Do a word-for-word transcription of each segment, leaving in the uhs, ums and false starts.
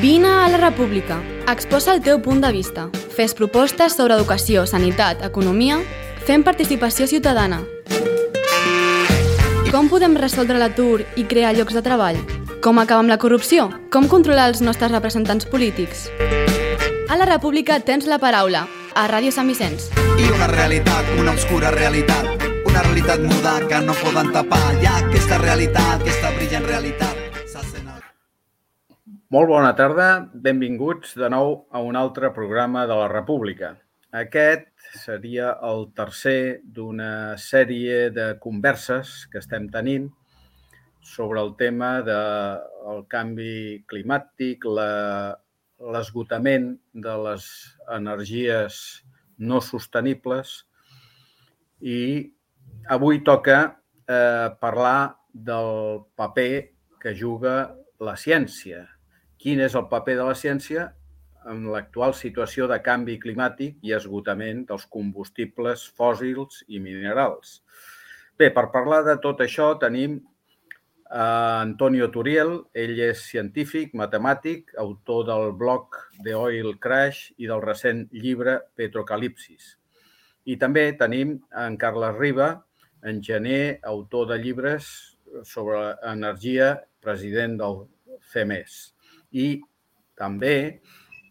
Vine a la República. Exposa el teu punt de vista. Fes propostes sobre educació, sanitat, economia, fem participació ciutadana. Com podem resoldre l'atur i crear llocs de treball? Com acabar amb la corrupció? Com controlar els nostres representants polítics? A la República tens la paraula, a Ràdio Sant Vicenç. I una realitat, una obscura realitat, una realitat muda que no poden tapar. Hi ha aquesta realitat, aquesta brillant realitat. Molt bona tarda, benvinguts de nou a un altre programa de la República. Aquest seria el tercer d'una sèrie de converses que estem tenint sobre el tema del canvi climàtic, la, l'esgotament de les energies no sostenibles i avui toca eh, parlar del paper que juga la ciència. Quin és el paper de la ciència en l'actual situació de canvi climàtic i esgotament dels combustibles fòssils i minerals. Bé, per parlar de tot això tenim a Antonio Turiel. Ell és científic, matemàtic, autor del blog The Oil Crash i del recent llibre Petrocalipsis. I també tenim en Carles Riba, enginyer, autor de llibres sobre energia, president del C E M E S. I també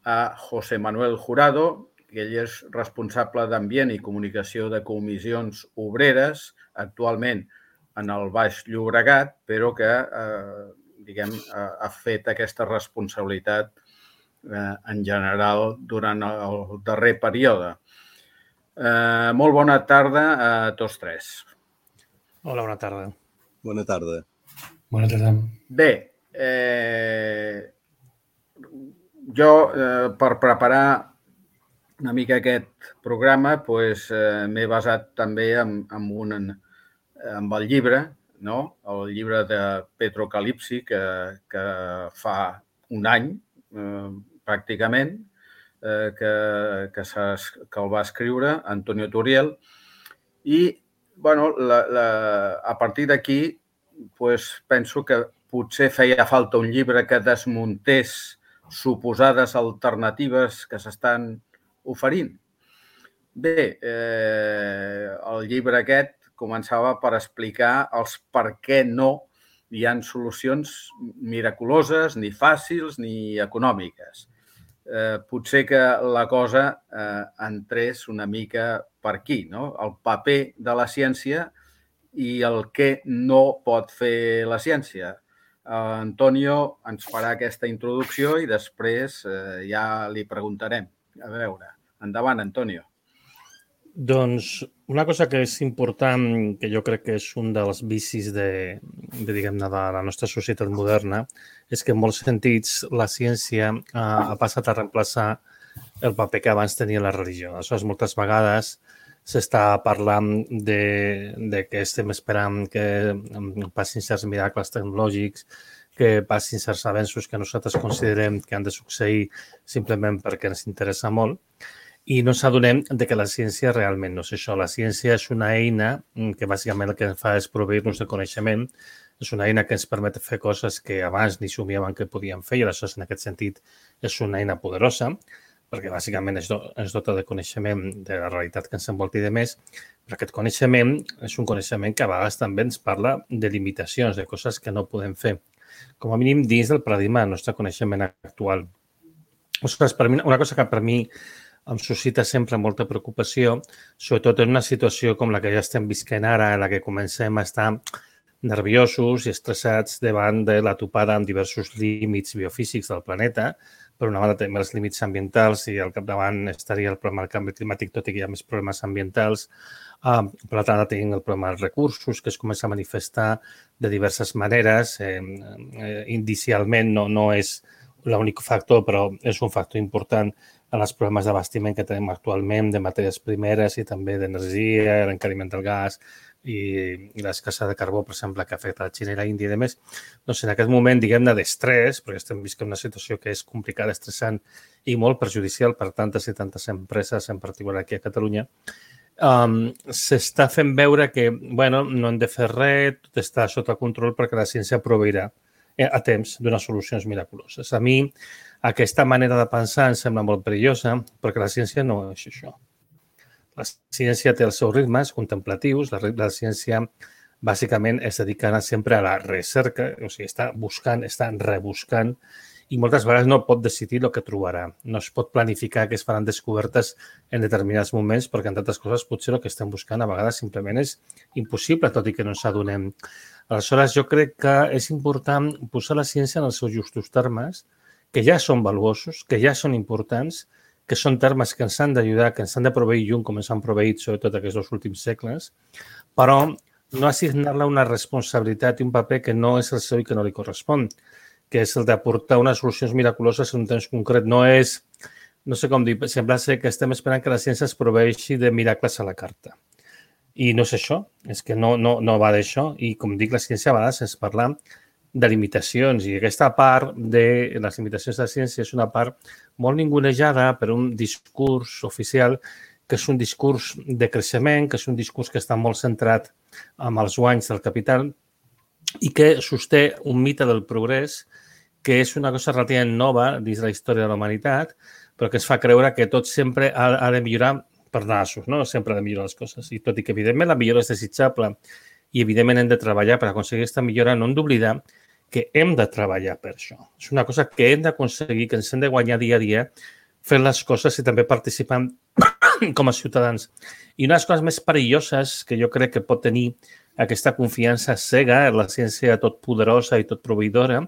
a José Manuel Jurado, que ell és responsable d'Ambient i Comunicació de Comissions Obreres, actualment en el Baix Llobregat, però que eh, diguem, ha fet aquesta responsabilitat eh, en general durant el darrer període. Eh, molt bona tarda a tots tres. Hola, bona tarda. Bona tarda. Bona tarda. Bé, eh, jo, eh, per preparar una mica aquest programa, pues, eh, m'he basat també en, en, un, en el llibre, no? El llibre de Petrocalipsi, que, que fa un any, eh, pràcticament, eh, que, que, que el va escriure Antonio Turiel. I, bueno, la, la, a partir d'aquí, pues, penso que potser feia falta un llibre que desmuntés suposades alternatives que s'estan oferint. Bé, eh, el llibre aquest començava per explicar els per què no hi ha solucions miraculoses, ni fàcils, ni econòmiques. Eh, potser que la cosa eh, entrés una mica per aquí, no? El paper de la ciència i el que no pot fer la ciència. Uh, Antonio ens farà aquesta introducció i després uh, ja li preguntarem. A veure, endavant, Antonio. Doncs una cosa que és important, que jo crec que és un dels vicis de, de, diguem-ne, de la nostra societat moderna, és que en molts sentits la ciència uh, ha passat a reemplaçar el paper que abans tenia la religió. Aleshores, moltes vegades s'està parlant de, de que estem esperant que passin certs miracles tecnològics, que passin certs avenços que nosaltres considerem que han de succeir simplement perquè ens interessa molt. I no s'adonem de que la ciència realment no és això. La ciència és una eina que bàsicament el que fa és proveir-nos de coneixement. És una eina que ens permet fer coses que abans ni somiàvem que podíem fer i aleshores en aquest sentit és una eina poderosa, perquè bàsicament ens dota de coneixement de la realitat que ens envolta i de més, però aquest coneixement és un coneixement que a vegades també ens parla de limitacions, de coses que no podem fer, com a mínim dins del paradigma del nostre coneixement actual. Ostres, per mi, una cosa que per mi em suscita sempre molta preocupació, sobretot en una situació com la que ja estem visquent ara, en la que comencem a estar nerviosos i estressats davant de la topada amb diversos límits biofísics del planeta. Per una banda tenim els límits ambientals i al capdavant estaria el problema del canvi climàtic, tot i que hi ha més problemes ambientals. Uh, per l'altra banda tenim el problema dels recursos, que es comença a manifestar de diverses maneres. Eh, eh, indicialment no, no és l'únic factor, però és un factor important en els problemes d'abastiment que tenim actualment, de matèries primeres i també d'energia, l'encariment del gas i, i l'escassa de carbó, per exemple, que afecta la Xina i la Índia i demés. Doncs en aquest moment, diguem-ne, d'estrès, perquè estem visquent una situació que és complicada, estressant i molt perjudicial per tantes i tantes empreses, en particular aquí a Catalunya, um, s'està fent veure que, bueno, no hem de fer res, tot està sota control perquè la ciència proveirà. a temps donar solucions miraculoses. A mi aquesta manera de pensar em sembla molt perillosa perquè la ciència no és això. La ciència té els seus ritmes contemplatius, la, la ciència bàsicament es dedica sempre a la recerca, o sigui, està buscant, està rebuscant i moltes vegades no pot decidir el que trobarà. No es pot planificar que es faran descobertes en determinats moments perquè, entre altres coses, potser el que estem buscant a vegades simplement és impossible, tot i que no ens adonem. Aleshores, jo crec que és important posar la ciència en els seus justos termes, que ja són valuosos, que ja són importants, que són termes que ens han d'ajudar, que ens han de proveir llum, com ens han proveït sobretot aquests dos últims segles, però no assignar-la una responsabilitat i un paper que no és el seu i que no li correspon, que és el d'aportar unes solucions miraculoses en un temps concret. No és, no sé com dir, sembla ser que estem esperant que la ciència es proveeixi de miracles a la carta. I no és això, és que no, no, no va d'això. I com dic, la ciència a vegades ens parla de limitacions i aquesta part de les limitacions de la ciència és una part molt ningunejada per un discurs oficial que és un discurs de creixement, que és un discurs que està molt centrat en els guanys del capital i que sosté un mite del progrés que és una cosa relativament nova dins de la història de la humanitat, però que ens fa creure que tot sempre ha, ha de millorar per nassos, no? Sempre ha de millorar les coses. I tot i que, evidentment, la millora és desitjable i, evidentment, hem de treballar per aconseguir aquesta millora, no hem d'oblidar que hem de treballar per això. És una cosa que hem d'aconseguir, que ens hem de guanyar dia a dia fent les coses i també participant com a ciutadans. I una de les coses més perilloses que jo crec que pot tenir aquesta confiança cega en la ciència tot poderosa i tot proveïdora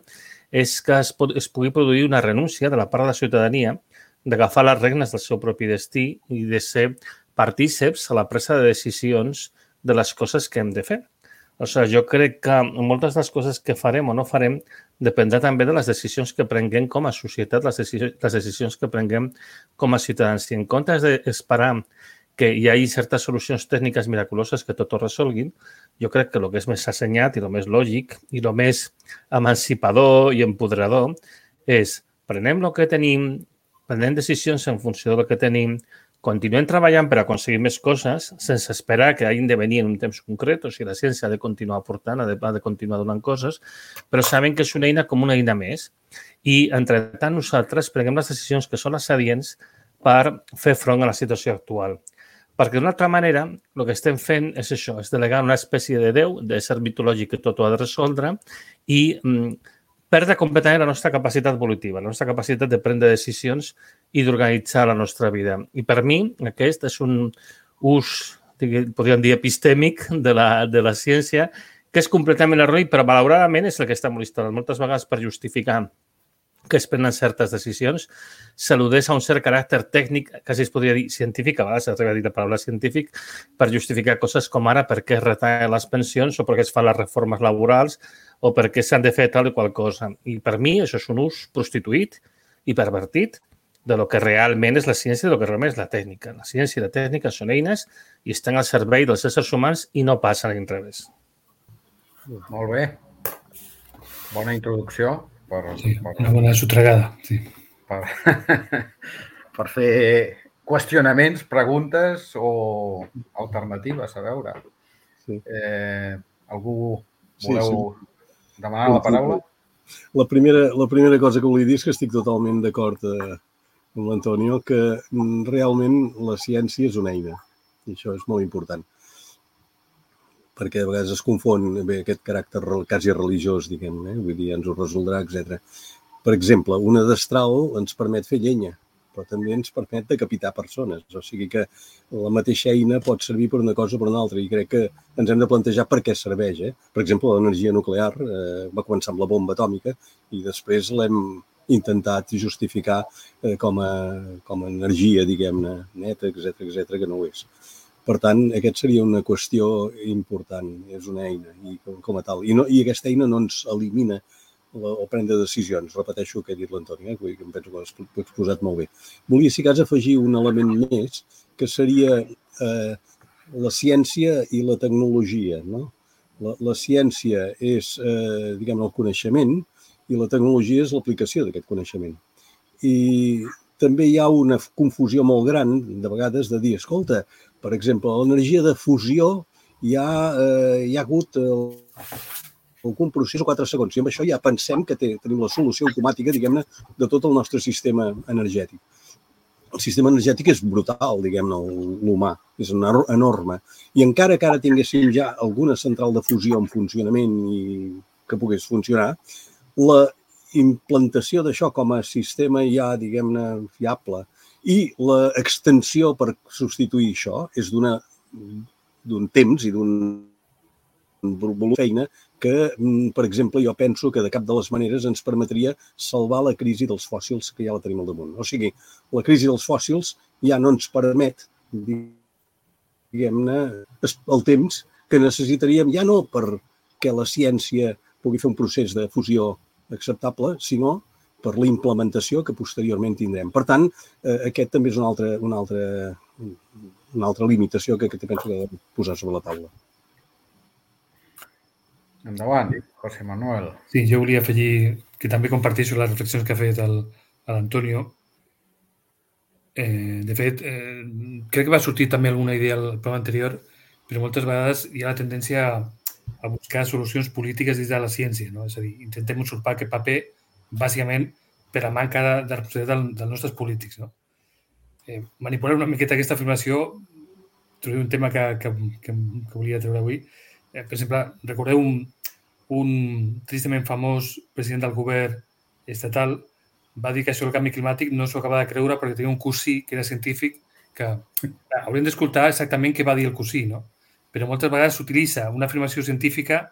és que es, pot, es pugui produir una renúncia de la part de la ciutadania d'agafar les regnes del seu propi destí i de ser partíceps a la presa de decisions de les coses que hem de fer. O sigui, jo crec que moltes de les coses que farem o no farem dependrà també de les decisions que prenguem com a societat, les decisions, les decisions que prenguem com a ciutadans. Si en comptes d'esperar que hi hagi certes solucions tècniques miraculoses que tot ho resolguin, jo crec que el que és més assenyat i el més lògic i el més emancipador i empoderador és prenem el que tenim, prenem decisions en funció del que tenim, continuem treballant per aconseguir més coses sense esperar que hagin de venir en un temps concret, o sigui, la ciència ha de continuar aportant, ha de, ha de continuar donant coses, però saben que és una eina com una eina més i, entretant, nosaltres prenem les decisions que són les adients per fer front a la situació actual. Perquè d'una altra manera, el que estem fent és això, és delegar una espècie de Déu, de ser mitològic que tot ho ha de resoldre i mm, perdre completament la nostra capacitat volitiva, la nostra capacitat de prendre decisions i d'organitzar la nostra vida. I per mi aquest és un ús, podríem dir, epistèmic de la, de la ciència que és completament erroni, però malauradament és el que està molt instal·lat. Moltes vegades per justificar que es prenen certes decisions, s'al·ludeix a un cert caràcter tècnic, quasi es podria dir científic, a vegades s'atreve a dir la paraula científic, per justificar coses com ara per què es retallen les pensions o per què es fan les reformes laborals o per què s'han de fer tal i qual cosa. I per mi això és un ús prostituït i pervertit de lo que realment és la ciència i de lo que realment és la tècnica. La ciència i la tècnica són eines i estan al servei dels éssers humans i no passen a l'inrevés. Molt bé. Bona introducció. Per, sí, per, una bona sotregada, sí. Per, per fer qüestionaments, preguntes o alternatives, a veure. Sí. Eh, algú voleu sí, sí. demanar la paraula? La primera, la primera cosa que volia dir és que estic totalment d'acord eh, amb l'Antonio, que realment la ciència és una eina, i això és molt important. Perquè a vegades es confon bé, aquest caràcter quasi religiós, diguem, eh? Vull dir, ens ho resoldrà, etcètera. Per exemple, una destral ens permet fer llenya, però també ens permet decapitar persones. O sigui que la mateixa eina pot servir per una cosa o per una altra i crec que ens hem de plantejar per què serveix. Eh? Per exemple, l'energia nuclear eh, va començar amb la bomba atòmica i després l'hem intentat justificar eh, com, a, com a energia, diguem-ne, neta, etcètera, etcètera, que no ho és. Per tant, aquest seria una qüestió important, és una eina i com, com a tal. I, no, I aquesta eina no ens elimina la, o prendre decisions. Repeteixo el que ha dit l'Antoni, eh, que em penso que l'he exposat molt bé. Volia, si cas, afegir un element més, que seria eh, la ciència i la tecnologia. No? La, la ciència és, eh, diguem, el coneixement i la tecnologia és l'aplicació d'aquest coneixement. I també hi ha una confusió molt gran, de vegades, de dir, escolta, per exemple, l'energia de fusió hi ha, eh, hi ha hagut el, algun procés o quatre segons. I amb això ja pensem que té, tenim la solució automàtica, diguem-ne, de tot el nostre sistema energètic. El sistema energètic és brutal, diguem-ne, l'humà, és enorme. I encara que ara tinguéssim ja alguna central de fusió en funcionament i que pogués funcionar, la implantació d'això com a sistema ja, diguem-ne, fiable i l'extensió per substituir això és d'una d'un temps i d'un volum de feina que, per exemple, jo penso que de cap de les maneres ens permetria salvar la crisi dels fòssils que ja la tenim al damunt. O sigui, la crisi dels fòssils ja no ens permet, diguem-ne, el temps que necessitaríem ja no perquè la ciència pugui fer un procés de fusió acceptable, sinó per la implementació que posteriorment tindrem. Per tant, aquest també és una altra, una altra, una altra limitació que, que penso que he de posar sobre la taula. Endavant, José Manuel. Sí, jo volia afegir que també comparteixo les reflexions que ha fet l'Antonio. Eh, de fet, eh, crec que va sortir també alguna idea al programa anterior, però moltes vegades hi ha la tendència a, a buscar solucions polítiques des de la ciència, no? És a dir, intentem usurpar aquest paper bàsicament per la manca de, de responsabilitat del, dels nostres polítics, no? Eh, manipular una miqueta aquesta afirmació, trobo un tema que, que, que, que volia treure avui. Eh, per exemple, recordeu un, un tristament famós president del govern estatal va dir que això del canvi climàtic no s'ho acaba de creure perquè tenia un cosí que era científic que clar, hauríem d'escoltar exactament què va dir el cosí, no? Però moltes vegades s'utilitza una afirmació científica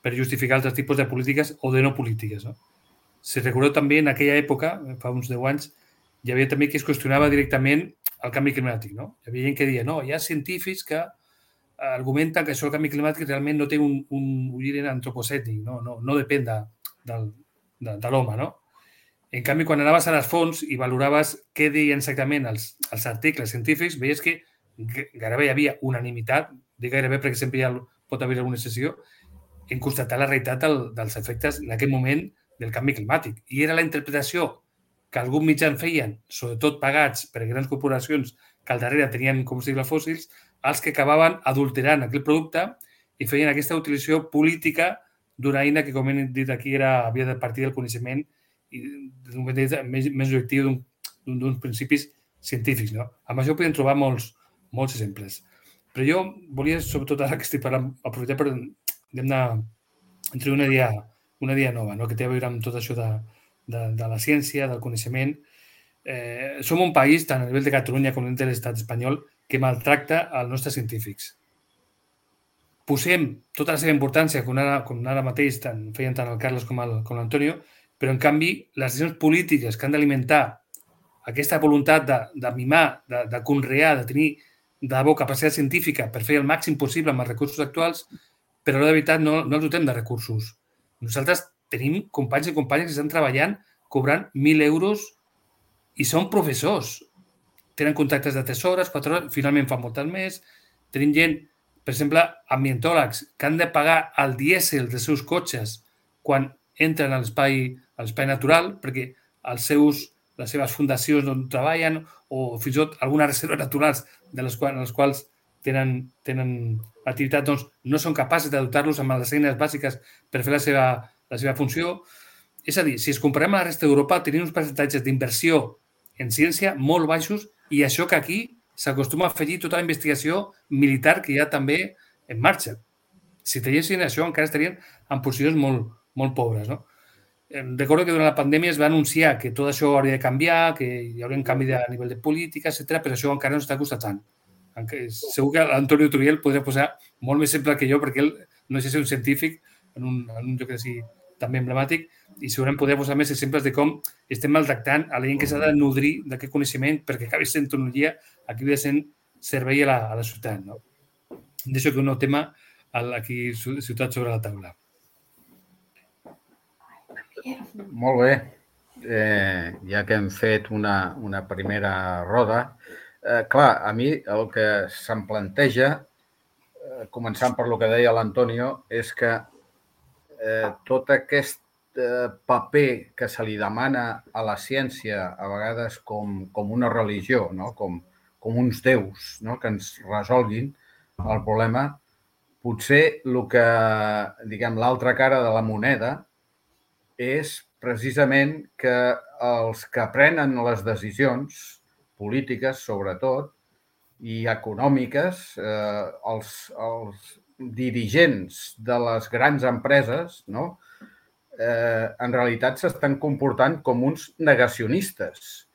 per justificar altres tipus de polítiques o de no polítiques, no? Si recordeu també en aquella època, fa uns deu anys, hi havia també qui es qüestionava directament el canvi climàtic, no? Hi havia gent que deia, no, hi ha científics que argumenten que això del canvi climàtic realment no té un, un origen antropocèntric, no, no, no depèn de, de, de, de l'home, no? En canvi, quan anaves a les fonts i valoraves què deien exactament els, els articles científics, veies que gairebé hi havia unanimitat, dic gairebé perquè sempre hi ha, pot haver alguna excepció, en constatar la realitat del, dels efectes en aquest moment del canvi climàtic. I era la interpretació que alguns mitjans feien, sobretot pagats per grans corporacions que al darrere tenien combustibles fòssils, els que acabaven adulterant aquell producte i feien aquesta utilització política d'una eina que, com hem dit aquí, era, havia de partir del coneixement i d'un més, més objectiu d'uns principis científics, no? Amb això podem trobar molts, molts exemples. Però jo volia, sobretot ara que estic parlant, aprofitar per introduir una idea, una idea nova, no? Que té a veure amb tot això de, de, de la ciència, del coneixement. Eh, som un país, tant a nivell de Catalunya com de l'estat espanyol, que maltracta els nostres científics. Posem tota la seva importància, com ara, com ara mateix tant, feien tant el Carles com l'Antonio, però en canvi les decisions polítiques que han d'alimentar aquesta voluntat de, de mimar, de, de conrear, de tenir de debò capacitat científica per fer el màxim possible amb els recursos actuals, però de veritat no, no els dotem de recursos. Nosaltres tenim companys i companyes que estan treballant cobrant mil euros i són professors. Tenen contractes de tres hores, quatre hores, finalment fan moltes més. Tenim gent, per exemple, ambientòlegs, que han de pagar el dièsel dels seus cotxes quan entren a l'espai a l'espai natural, perquè els seus, les seves fundacions on treballen o fins i tot algunes reserves naturals de les quals, les quals tenen, tenen activitat, doncs no són capaços de dotar-los amb les eines bàsiques per fer la seva, la seva funció. És a dir, si es comparem amb la resta d'Europa, tenim uns percentatges d'inversió en ciència molt baixos i això que aquí s'acostuma a afegir tota la investigació militar que hi ha també en marxa. Si tinguessin això, encara estarien en posicions molt, molt pobres, no? Recordo que durant la pandèmia es va anunciar que tot això hauria de canviar, que hi hauria un canvi a nivell de política, etcètera, però això encara no està constatant. Segur que l'Antonio Turiel podria posar molt més exemple que jo, perquè ell no és un científic en un, en un lloc així també emblemàtic, i segurament podria posar més exemples de com estem maltractant a la gent que s'ha de nodrir d'aquest coneixement perquè acabi sent tecnologia, acabi sent servei a la, a la ciutat, no? Deixo que un nou tema aquí ciutat sobre la taula. Molt bé. Eh, ja que hem fet una, una primera roda, eh, clar, a mi el que se'm planteja, eh, començant per lo que deia l'Antonio, és que eh, tot aquest eh, paper que se li demana a la ciència, a vegades com, com una religió, no? com, com uns déus, no? Que ens resolguin el problema, potser el que, diguem, l'altra cara de la moneda és precisament que els que prenen les decisions polítiques, sobretot, i econòmiques, eh, els, els dirigents de les grans empreses, no? eh, en realitat s'estan comportant com uns negacionistes.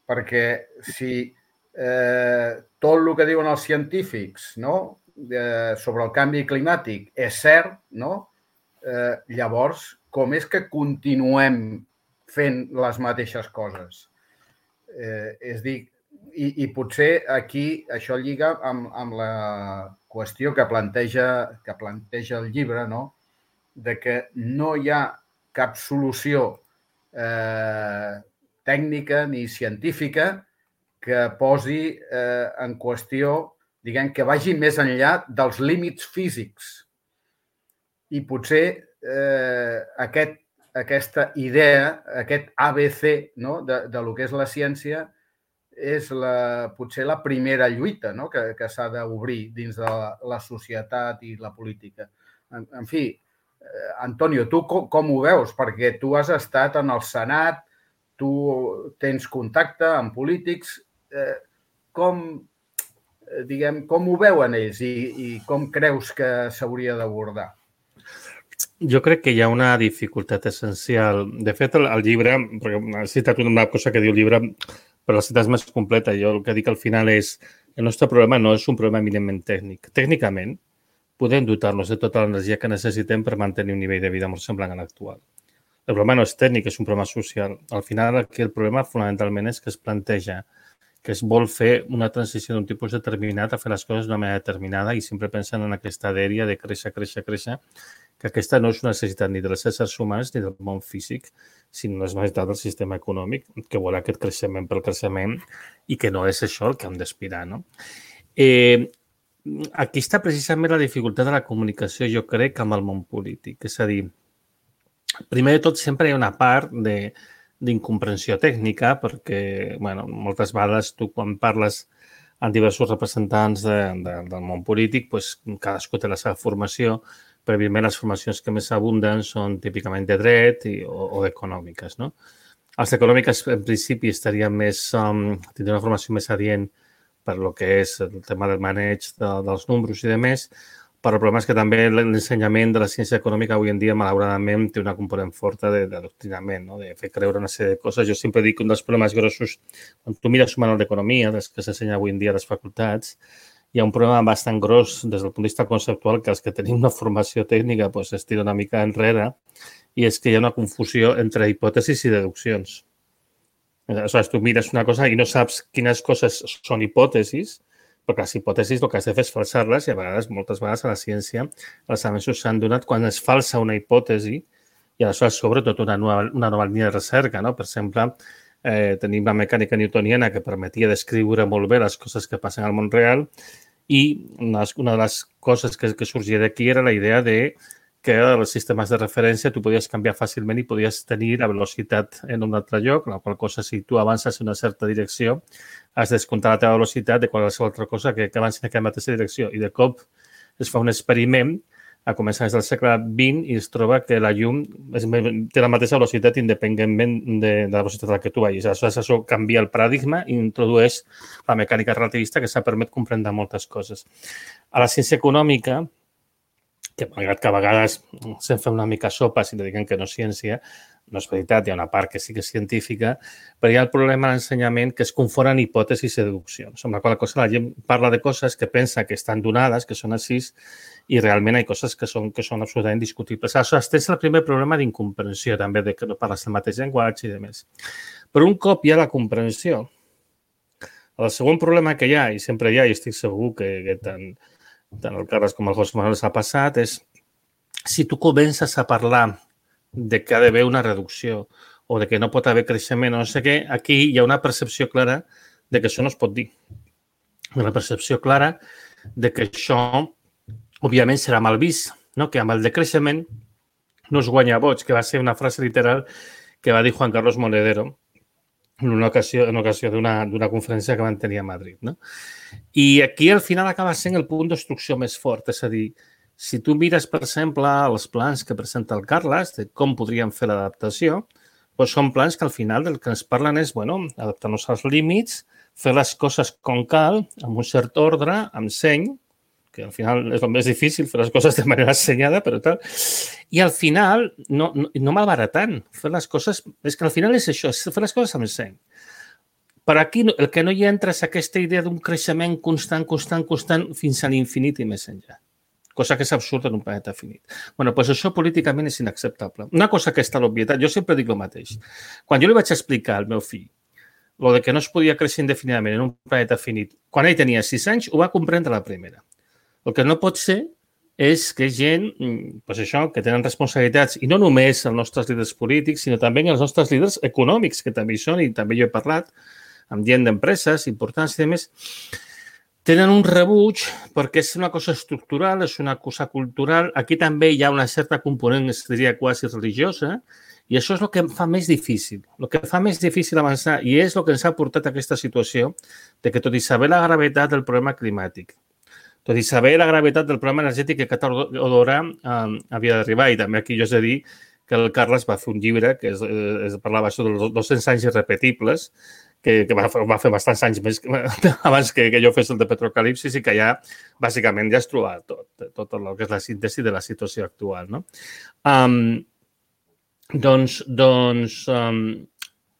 Perquè si eh, tot el que diuen els científics, no? eh, sobre el canvi climàtic és cert, no? eh, llavors, com és que continuem fent les mateixes coses? Eh, és dir, i, i potser aquí això lliga amb, amb la qüestió que planteja, que planteja el llibre, no? De que no hi ha cap solució eh, tècnica ni científica que posi eh, en qüestió, diguem, que vagi més enllà dels límits físics. I potser eh, aquest, aquesta idea, aquest A B C, no? de, de lo que és la ciència, és la, potser la primera lluita, no? que, que s'ha d'obrir dins de la, la societat i la política. En, en fi, eh, Antonio, tu com, com ho veus? Perquè tu has estat en el Senat, tu tens contacte amb polítics. Eh, com, eh, diguem, com ho veuen ells i, i com creus que s'hauria d'abordar? Jo crec que hi ha una dificultat essencial. De fet, el, el llibre, perquè he citat una cosa que diu el llibre, però la citat és més completa. Jo el que dic al final és el nostre problema no és un problema eminentment tècnic. Tècnicament, podem dotar-nos de tota l'energia que necessitem per mantenir un nivell de vida molt semblant a l'actual. El problema no és tècnic, és un problema social. Al final, aquí el problema fonamentalment és que es planteja que es vol fer una transició d'un tipus determinat a fer les coses d'una manera determinada i sempre pensant en aquesta dèria de créixer, créixer, créixer, que aquesta no és una necessitat ni dels éssers humans ni del món físic, sinó una necessitat del sistema econòmic, que vol aquest creixement pel creixement i que no és això el que hem d'aspirar, no? Eh, aquí està precisament la dificultat de la comunicació, jo crec, amb el món polític. És a dir, primer de tot, sempre hi ha una part de, d'incomprensió tècnica, perquè, bueno, moltes vegades tu quan parles amb diversos representants de, de, del món polític, pues, cadascú té la seva formació, però, evidentment, les formacions que més abunden són típicament de dret i, o, o econòmiques, no? Els econòmiques, en principi, estarien més, um, tindrien una formació més adient per lo que és el tema del maneig de, dels números i de més, però el problema és que també l'ensenyament de la ciència econòmica avui en dia, malauradament, té una component forta d'adoctrinament, no? De fer creure una sèrie de coses. Jo sempre dic que un dels problemes grossos, quan tu mires un manual d'economia, des que s'ensenya avui en dia a les facultats, hi ha un problema bastant gros des del punt de vista conceptual que els que tenim una formació tècnica pues, es tira una mica enrere i és que hi ha una confusió entre hipòtesis i deduccions. Aleshores, tu mires una cosa i no saps quines coses són hipòtesis, perquè les hipòtesis el que has de fer és falsar-les i a vegades, moltes vegades a la ciència, els avenços s'han donat quan es falsa una hipòtesi i aleshores s'obre tota una nova, una nova línia de recerca, no? Per exemple, eh, tenim la mecànica newtoniana que permetia descriure molt bé les coses que passen al món real i una, una de les coses que, que sorgia d'aquí era la idea de que els sistemes de referència tu podies canviar fàcilment i podies tenir la velocitat en un altre lloc, la qual cosa, si tu avances en una certa direcció, has de descomptar la teva velocitat de qualsevol altra cosa que, que avanci en aquella mateixa direcció. I de cop es fa un experiment a començar del segle vint i es troba que la llum té la mateixa velocitat independentment de, de la velocitat a la que tu vagis. Aleshores, això canvia el paradigma i introdueix la mecànica relativista que s'ha permet comprendre moltes coses. A la ciència econòmica, que malgrat que a vegades se'n fa una mica sopa si li diuen que no és ciència, no és veritat, hi ha una part que sí que és científica, però hi ha el problema de l'ensenyament que es confonen hipòtesis i deduccions. Amb la qual cosa la gent parla de coses que pensa que estan donades, que són així, i realment hi ha coses que són, que són absolutament discutibles. Aleshores, tens el primer problema d'incomprensió, també, de que no parles el mateix llenguatge i de més. Però un cop hi ha la comprensió, el segon problema que hi ha, i sempre hi ha, i estic segur que, que tant, tant el Carles com el José Manuel s'ha passat, és si tu comences a parlar de que ha d'haver una reducció o de que no pot haver creixement o no sé què, aquí hi ha una percepció clara de que això no es pot dir. Una percepció clara de que això, òbviament, serà mal vist, no? Que amb el decreixement no es guanya vots, que va ser una frase literal que va dir Juan Carlos Monedero, en una ocasió, en ocasió d'una d'una conferència que van tenir a Madrid, no? I aquí al final acaba sent el punt d'obstrucció més fort, és a dir, si tu mires, per exemple, els plans que presenta el Carles de com podríem fer l'adaptació, doncs són plans que al final del que ens parlen és, bueno, adaptar-nos als límits, fer les coses com cal, amb un cert ordre, amb seny, que al final és el més difícil, fer les coses de manera assenyada, però tal. I al final, no, no, no malbaratant, fer les coses... És que al final és això, és fer les coses amb seny. Però aquí el que no hi entra és aquesta idea d'un creixement constant, constant, constant, fins a l'infinit i més enllà. Cosa que és absurda en un planeta finit. Bueno, doncs això políticament és inacceptable. Una cosa que està a l'obvietat, jo sempre dic el mateix. Quan jo li vaig explicar al meu fill lo de que no es podia créixer indefinidament en un planeta finit, quan ell tenia sis anys, ho va comprendre a la primera. El que no pot ser és que gent, doncs això, que tenen responsabilitats, i no només els nostres líders polítics, sinó també els nostres líders econòmics, que també hi són, i també jo he parlat amb gent d'empreses importants i demés, tenen un rebuig perquè és una cosa estructural, és una cosa cultural. Aquí també hi ha una certa component, es diria, quasi religiosa, i això és el que em fa més difícil. El que fa més difícil avançar, i és el que ens ha portat a aquesta situació de que, tot i saber la gravetat del problema climàtic, tot i saber la gravetat del problema energètic que cada hora um, havia d'arribar, i també aquí jo he de dir que el Carles va fer un llibre que es, es parlava dels dos-cents anys irrepetibles, que, que va, va fer bastants anys més abans que, que jo fes el de Petrocalipsis, i que ja, bàsicament, ja es troba tot, tot el que és la síntesi de la situació actual, no? Um, doncs, doncs um,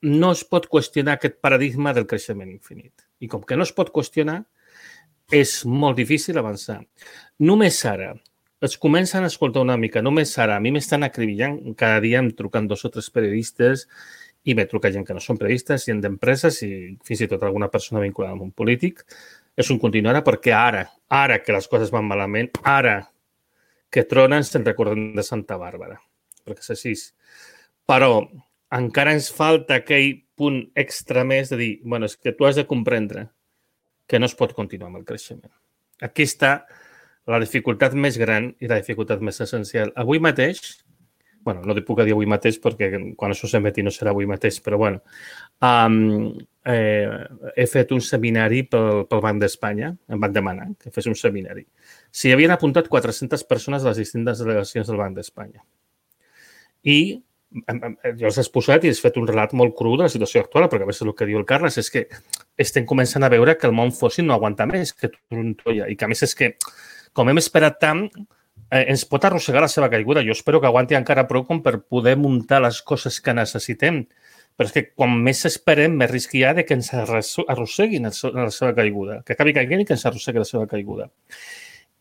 no es pot qüestionar aquest paradigma del creixement infinit. I com que no es pot qüestionar, és molt difícil avançar. Només ara, es comencen a escoltar una mica, només ara, a mi m'estan acribillant, cada dia em truquen dos o tres periodistes i me truca gent que no són periodistes, gent d'empreses i fins i tot alguna persona vinculada amb un polític. És un continuar perquè ara, ara que les coses van malament, ara que tronen se'n recorden de Santa Bàrbara, perquè és així. Però encara ens falta aquell punt extra més de dir, bueno, és que tu has de comprendre que no es pot continuar amb el creixement. Aquí està la dificultat més gran i la dificultat més essencial. Avui mateix, bueno, no puc dir avui mateix perquè quan això s'emeti no serà avui mateix, però bueno, um, eh, he fet un seminari pel, pel Banc d'Espanya, em van demanar que fes un seminari. S'hi havien apuntat quatre-centes persones de les distintes delegacions del Banc d'Espanya. I jo els he exposat i he fet un relat molt cru de la situació actual, perquè a més el que diu el Carles és que estem començant a veure que el món fòssil no aguanta més, que trontolla, i que a més és que, com hem esperat tant, eh, ens pot arrossegar la seva caiguda. Jo espero que aguanti encara prou com per poder muntar les coses que necessitem, però és que quan més esperem, més risc hi ha de que ens arrosseguin la seva caiguda, que acabi caiguent i que ens arrossegui la seva caiguda.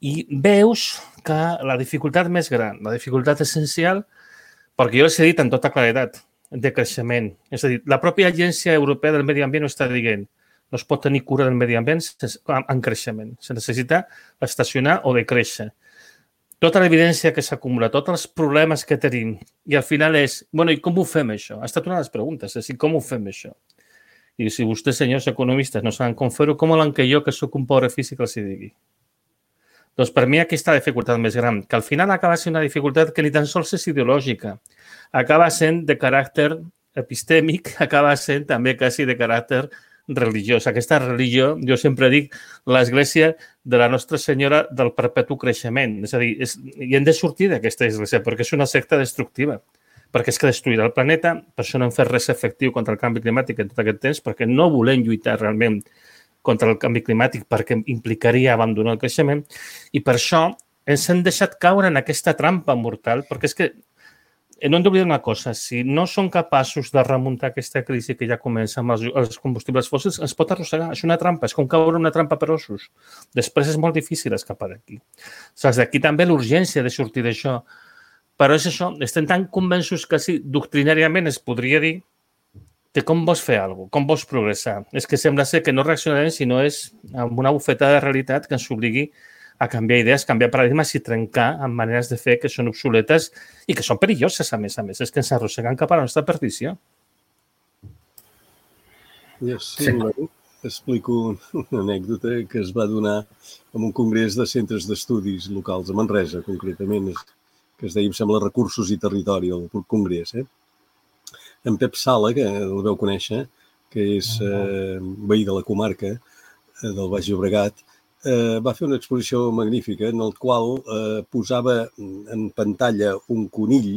I veus que la dificultat més gran, la dificultat essencial, perquè jo els he dit en tota claredat de creixement. És a dir, la pròpia Agència Europea del Medi Ambient ho està dient. No es pot tenir cura del medi ambient en creixement. Se necessita estacionar o decréixer. Tota l'evidència que s'acumula, tots els problemes que tenim, i al final és, bueno, i com ho fem això? Ha estat una de les preguntes, és dir, com ho fem això? I si vostès, senyors economistes, no saben com fer-ho, com volen que jo, que sóc un pobre físic, els hi digui? Doncs per mi aquesta dificultat més gran, que al final acaba sent una dificultat que ni tan sols és ideològica, acaba sent de caràcter epistèmic, acaba sent també quasi de caràcter religiós. Aquesta religió, jo sempre dic, l'Església de la Nostra Senyora del Perpetu Creixement. És a dir, és, i hem de sortir d'aquesta església perquè és una secta destructiva, perquè és que destruirà el planeta, per això no hem fet res efectiu contra el canvi climàtic en tot aquest temps, perquè no volem lluitar realment contra el canvi climàtic perquè implicaria abandonar el creixement, i per això ens hem deixat caure en aquesta trampa mortal, perquè és que no hem d'oblidar una cosa, si no som capaços de remuntar aquesta crisi que ja comença amb els combustibles fòssils, ens pot arrossegar, és una trampa, és com caure una trampa per ossos. Després és molt difícil escapar d'aquí. Saps, d'aquí també l'urgència de sortir d'això, però és això, estem tan convençuts que sí, doctrinàriament es podria dir de com vols fer alguna cosa, com vols progressar. És que sembla ser que no reaccionarem si no és amb una bufetada de realitat que ens obligui a canviar idees, canviar paradigmes i trencar amb maneres de fer que són obsoletes i que són perilloses, a més a més. És que ens arrosseguen cap a la nostra perdició. Ja sí, sí. Explico una anècdota que es va donar en un congrés de centres d'estudis locals a Manresa, concretament, que es deia, em sembla, Recursos i Territori, el congrés, eh? En Pep Sala, que el veu conèixer, que és eh, veí de la comarca eh, del Baix Llobregat, eh, va fer una exposició magnífica en el qual eh, posava en pantalla un conill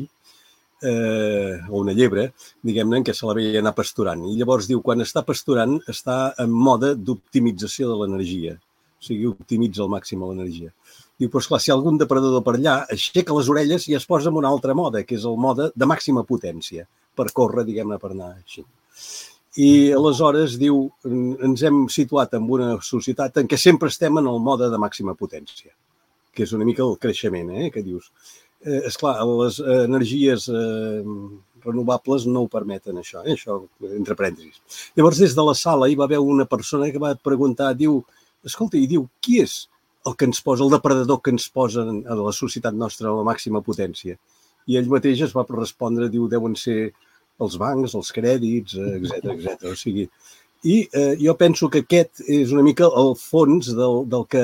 eh, o una llebre, diguem-ne, en què se la veia anar pasturant. I llavors diu, quan està pasturant, està en mode d'optimització de l'energia. O sigui, optimitza al màxim l'energia. Diu, però esclar, si hi ha algun depredador per allà, aixeca les orelles i es posa en un altre mode, que és el mode de màxima potència, per córrer, diguem-ne, per anar així. I aleshores, diu, ens hem situat en una societat en què sempre estem en el mode de màxima potència, que és una mica el creixement, eh, que dius. Eh, esclar, les energies eh, renovables no ho permeten, això, eh, això, entre parèntesis. Llavors, des de la sala hi va haver una persona que va preguntar, diu, escolta, i diu, qui és el que ens posa, el depredador que ens posa a la societat nostra a la màxima potència? I ell mateix es va respondre, diu, deuen ser els bancs, els crèdits, etcètera, etcètera. O sigui, i eh, jo penso que aquest és una mica el fons del, del que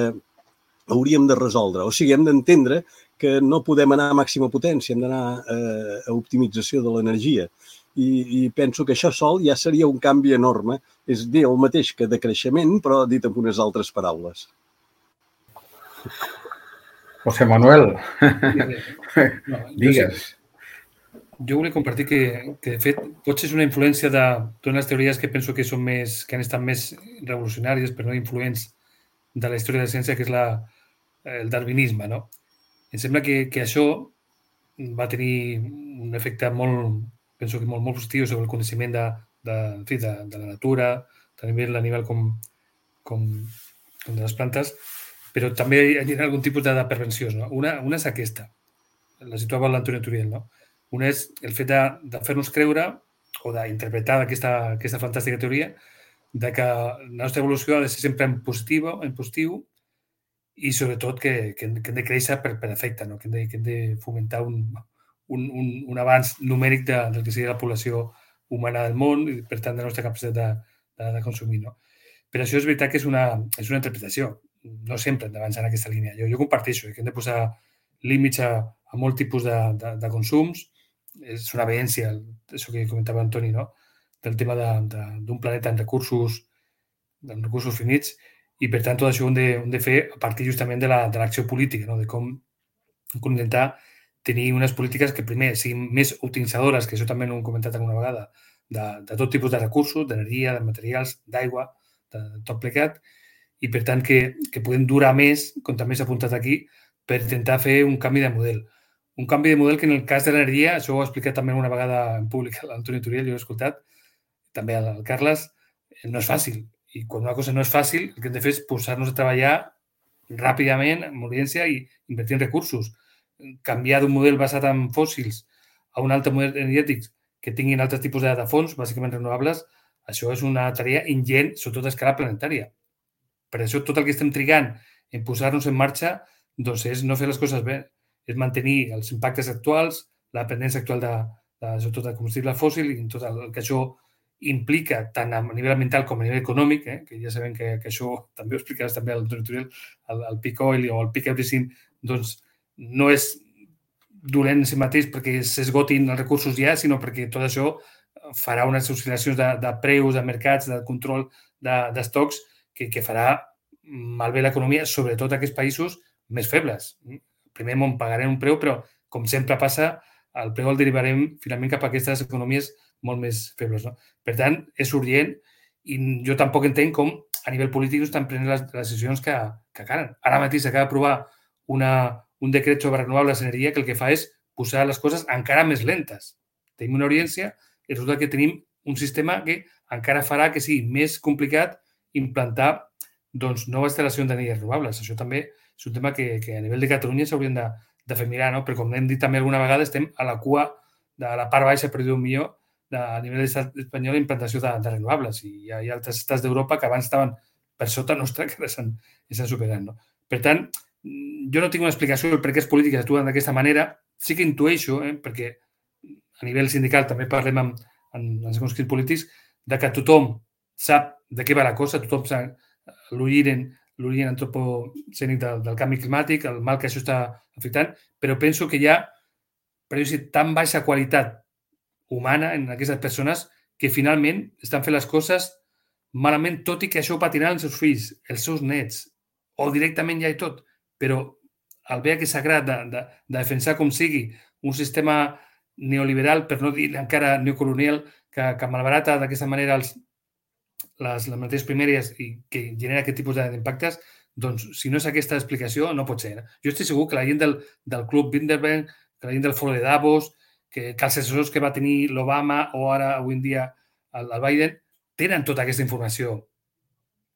hauríem de resoldre. O sigui, hem d'entendre que no podem anar a màxima potència, hem d'anar eh, a optimització de l'energia. I, I penso que això sol ja seria un canvi enorme. És dir el mateix que de creixement, però dit amb unes altres paraules. José Manuel, no, digues. Jo volia compartir que, que de fet, potser és una influència de totes les teories que penso que són més, que han estat més revolucionàries, però no influents de la història de la ciència, que és la, el darwinisme, no? Em sembla que, que això va tenir un efecte molt, penso que molt, molt positiu sobre el coneixement de, de, en fi, de, de la natura, també a nivell com, com, com de les plantes, però també hi ha algun tipus de, de prevencions. No? Una, una és aquesta, la situava l'Antonio Turiel, no? Una és el fet de, de fer-nos creure o d'interpretar aquesta, aquesta fantàstica teoria de que la nostra evolució ha de ser sempre en positiu, en positiu i sobretot que, que, que hem de créixer per, per efecte, no? que, hem de, que hem de fomentar un, un, un, un avanç numèric de, del que seria la població humana del món i, per tant, de la nostra capacitat de, de, de consumir. No? Però això és veritat que és una, és una interpretació. No sempre hem d'avançar en aquesta línia. Jo, jo comparteixo que hem de posar límits a, a molt tipus de, de, de consums. És una veència, això que comentava Antoni, no? Del tema d'un de, de, planeta amb recursos, amb recursos finits, i per tant tot això ho hem de, hem de fer a partir justament de l'acció la, política, no? De com, com intentar tenir unes polítiques que primer siguin més optimitzadores, que això també no ho hem comentat alguna vegada, de, de tot tipus de recursos, d'energia, de materials, d'aigua, de, de tot plegat, i per tant que, que podem durar més, com també s'ha apuntat aquí, per intentar fer un canvi de model. Un canvi de model que en el cas de l'energia, això ho ha explicat també una vegada en públic l'Antoni Turiel, jo ho he escoltat, també el Carles, no és fàcil. I quan una cosa no és fàcil, el que hem de fer és posar-nos a treballar ràpidament, amb urgència i invertir en recursos. Canviar d'un model basat en fòssils a un altre model energètic que tinguin altres tipus de, de fons, bàsicament renovables, això és una tarea ingent, sobretot a escala planetària. Per això tot el que estem trigant en posar-nos en marxa doncs és no fer les coses bé, és mantenir els impactes actuals, la dependència actual de, de, sobretot de combustible fòssil i tot el que això implica tant a nivell ambiental com a nivell econòmic, eh, que ja sabem que, que això també ho explicaràs també al tutorial, el, el peak oil o el peak everything, doncs no és dolent en si mateix perquè s'esgotin els recursos ja, sinó perquè tot això farà unes oscil·lacions de, de preus, de mercats, de control d'estocs, de, que, que farà malbé l'economia, sobretot a aquests països més febles. Primer món pagarem un preu, però, com sempre passa, el preu el derivarem finalment cap a aquestes economies molt més febles. No? Per tant, és urgent i jo tampoc entenc com a nivell polític no estan prenent les, les decisions que, que calen. Ara mateix s'acaba d'aprovar una, un decret sobre renovables d'energia que el que fa és posar les coses encara més lentes. Tenim una urgència i resulta que tenim un sistema que encara farà que sigui més complicat implantar doncs, noves instal·lacions d'energies renovables. Això també és un tema que, que a nivell de Catalunya s'haurien de, de fer mirar, no? Però com hem dit també alguna vegada, estem a la cua de la part baixa, per dir-ho millor, de, a nivell de l'estat espanyol, implantació de, de renovables. I hi ha, hi ha altres estats d'Europa que abans estaven per sota nostra que s'han superat. No? Per tant, jo no tinc una explicació del per què les polítiques actuen d'aquesta manera. Sí que intueixo, eh, perquè a nivell sindical també parlem amb, amb els conscrits polítics, de que tothom sap de què va la cosa, tothom sap l'origen l'origen antropocènic del, del canvi climàtic, el mal que això està afectant, però penso que hi ha per dir, tan baixa qualitat humana en aquestes persones que finalment estan fent les coses malament, tot i que això ho patiran els seus fills, els seus nets, o directament ja i tot. Però el bé que s'agrada de, de, de defensar com sigui un sistema neoliberal, per no dir encara neocolonial, que, que malbarata d'aquesta manera els, les, les mateixes primàries i que genera aquest tipus d'impactes, doncs si no és aquesta explicació no pot ser. Jo estic segur que la gent del, del Club Bilderberg, que la gent del Foro de Davos, que, que els assessors que va tenir l'Obama o ara avui en dia el, el Biden, tenen tota aquesta informació.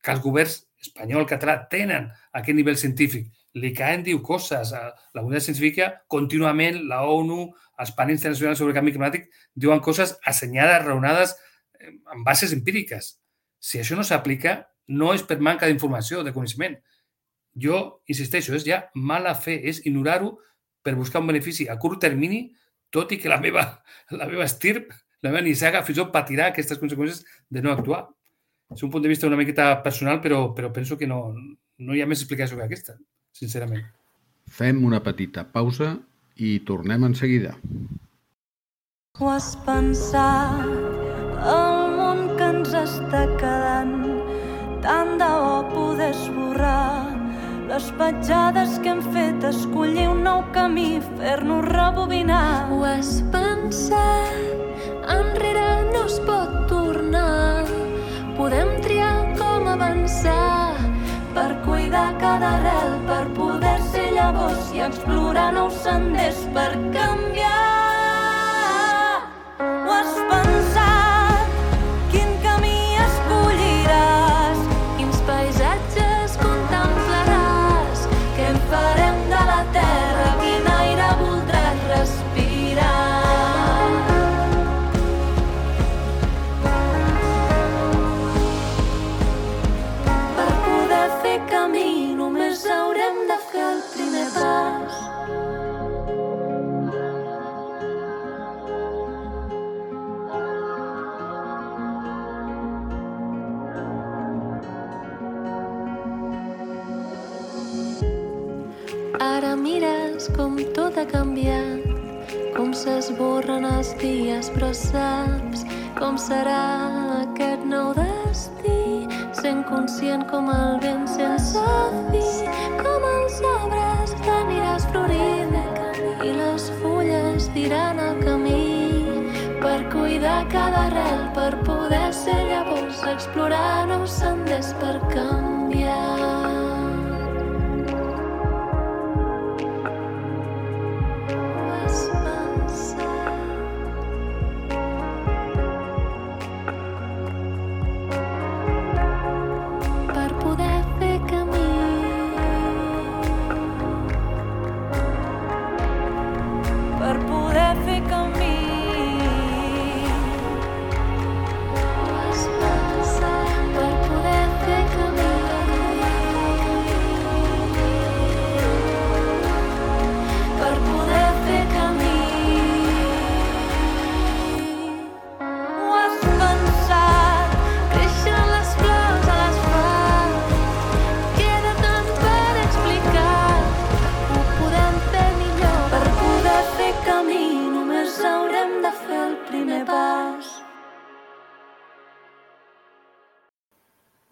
Que els governs espanyol, català, tenen aquest nivell científic. L'I C A E diu coses. La comunitat científica, contínuament, la ONU, els panels internacionals sobre el canvi climàtic, diuen coses assenyades, raonades, amb bases empíriques. Si això no s'aplica, no és per manca d'informació, de coneixement. Jo, insisteixo, és ja mala fe, és ignorar-ho per buscar un benefici a curt termini, tot i que la meva, la meva estirp, la meva nissaga, fins i tot patirà aquestes conseqüències de no actuar. És un punt de vista una miqueta personal, però, però penso que no, no hi ha més explicació que aquesta, sincerament. Fem una petita pausa i tornem en seguida. Ho has pensat, el món que ens està quedant, tant de bo poder esborrar les petjades que hem fet, escollir un nou camí, fer-nos rebobinar. Ho has pensat, enrere no es pot tornar. Podem triar com avançar per cuidar cada arrel, per poder ser llavors i explorar nous senders per canviar. Ho has pensat, quin camí escolliràs, quins paisatges contemplaràs, què en farem de la terra, quin aire voldràs respirar. Camí, només haurem de fer el primer pas. Ara mires com tot ha canviat, com s'esborren els dies, però saps com serà aquest nou destí. Sent conscient com el vent sense fi, com els arbres t'aniràs florint i les fulles diran el camí per cuidar cada arrel, per poder ser llavors, explorar nous senders per canviar.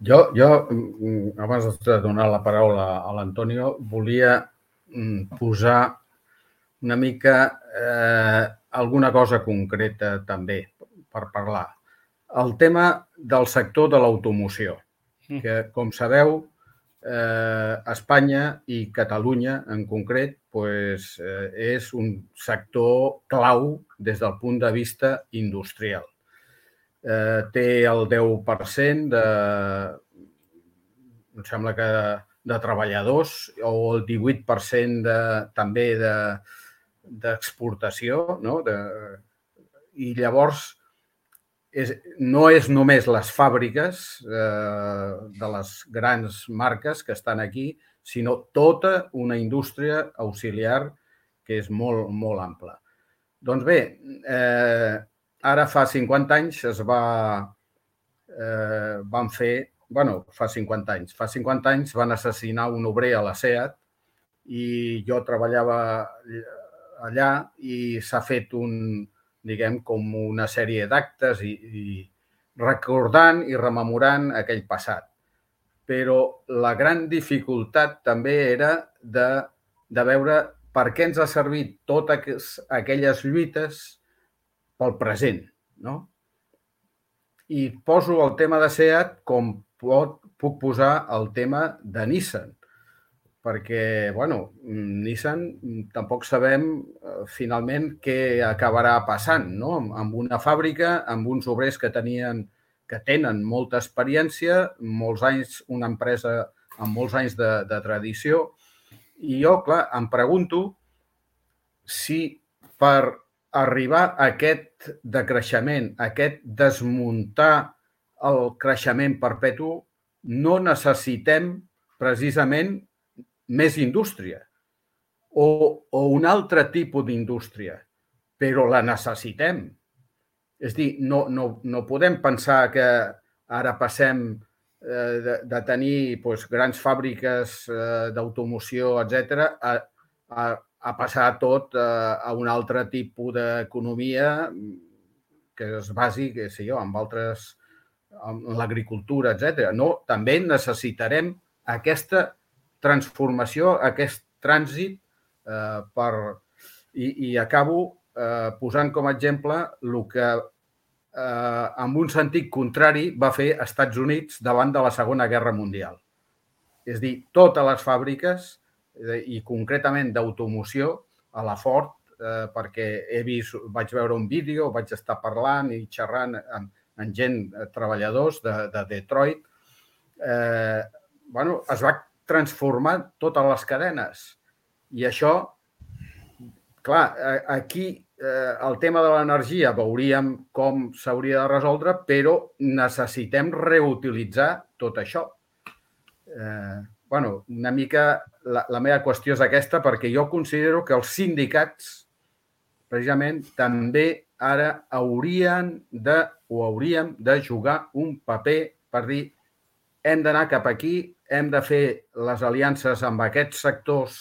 Jo, jo, abans de donar la paraula a l'Antonio, volia posar una mica eh, alguna cosa concreta també per parlar. El tema del sector de l'automoció, que, com sabeu, eh, Espanya i Catalunya en concret pues, eh, és un sector clau des del punt de vista industrial. Eh, té el deu per cent de, em sembla que de treballadors o el divuit per cent de, també de, d'exportació, no? De, i llavors és, no és només les fàbriques eh, de les grans marques que estan aquí, sinó tota una indústria auxiliar que és molt, molt ampla. Doncs bé, eh, ara fa cinquanta anys es va, eh, van fer, bueno, fa cinquanta anys, fa cinquanta anys van assassinar un obrer a la SEAT i jo treballava allà i s'ha fet un, diguem, com una sèrie d'actes i, i recordant i rememorant aquell passat. Però la gran dificultat també era de, de veure per què ens ha servit totes aquelles lluites pel present, no? I poso el tema de SEAT com pot, puc posar el tema de Nissan, perquè, bueno, Nissan tampoc sabem eh, finalment què acabarà passant, no? Amb una fàbrica, amb uns obrers que tenien, que tenen molta experiència, molts anys, una empresa amb molts anys de, de tradició, i jo, clar, em pregunto si per arribar a aquest decreixement, a aquest desmuntar el creixement perpetu, no necessitem precisament més indústria o, o un altre tipus d'indústria, però la necessitem. És dir, no, no, no podem pensar que ara passem eh, de, de tenir doncs, grans fàbriques eh, d'automoció, etcètera, a, a, a passar tot eh, a un altre tipus d'economia que es basi, que sé jo, amb altres, amb l'agricultura, etcètera. No, també necessitarem aquesta transformació, aquest trànsit eh, per... I, i acabo eh, posant com a exemple el que eh, en un sentit contrari va fer Estats Units davant de la Segona Guerra Mundial. És dir, totes les fàbriques eh, i concretament d'automoció a la Ford, eh, perquè he vist, vaig veure un vídeo, vaig estar parlant i xerrant amb, amb gent, eh, treballadors de, de Detroit, eh, bueno, es va transformar totes les cadenes. I això, clar, aquí eh, el tema de l'energia veuríem com s'hauria de resoldre, però necessitem reutilitzar tot això. Eh, bueno, una mica la, la meva qüestió és aquesta, perquè jo considero que els sindicats, precisament, també ara haurien de, o hauríem de jugar un paper per dir hem d'anar cap aquí, hem de fer les aliances amb aquests sectors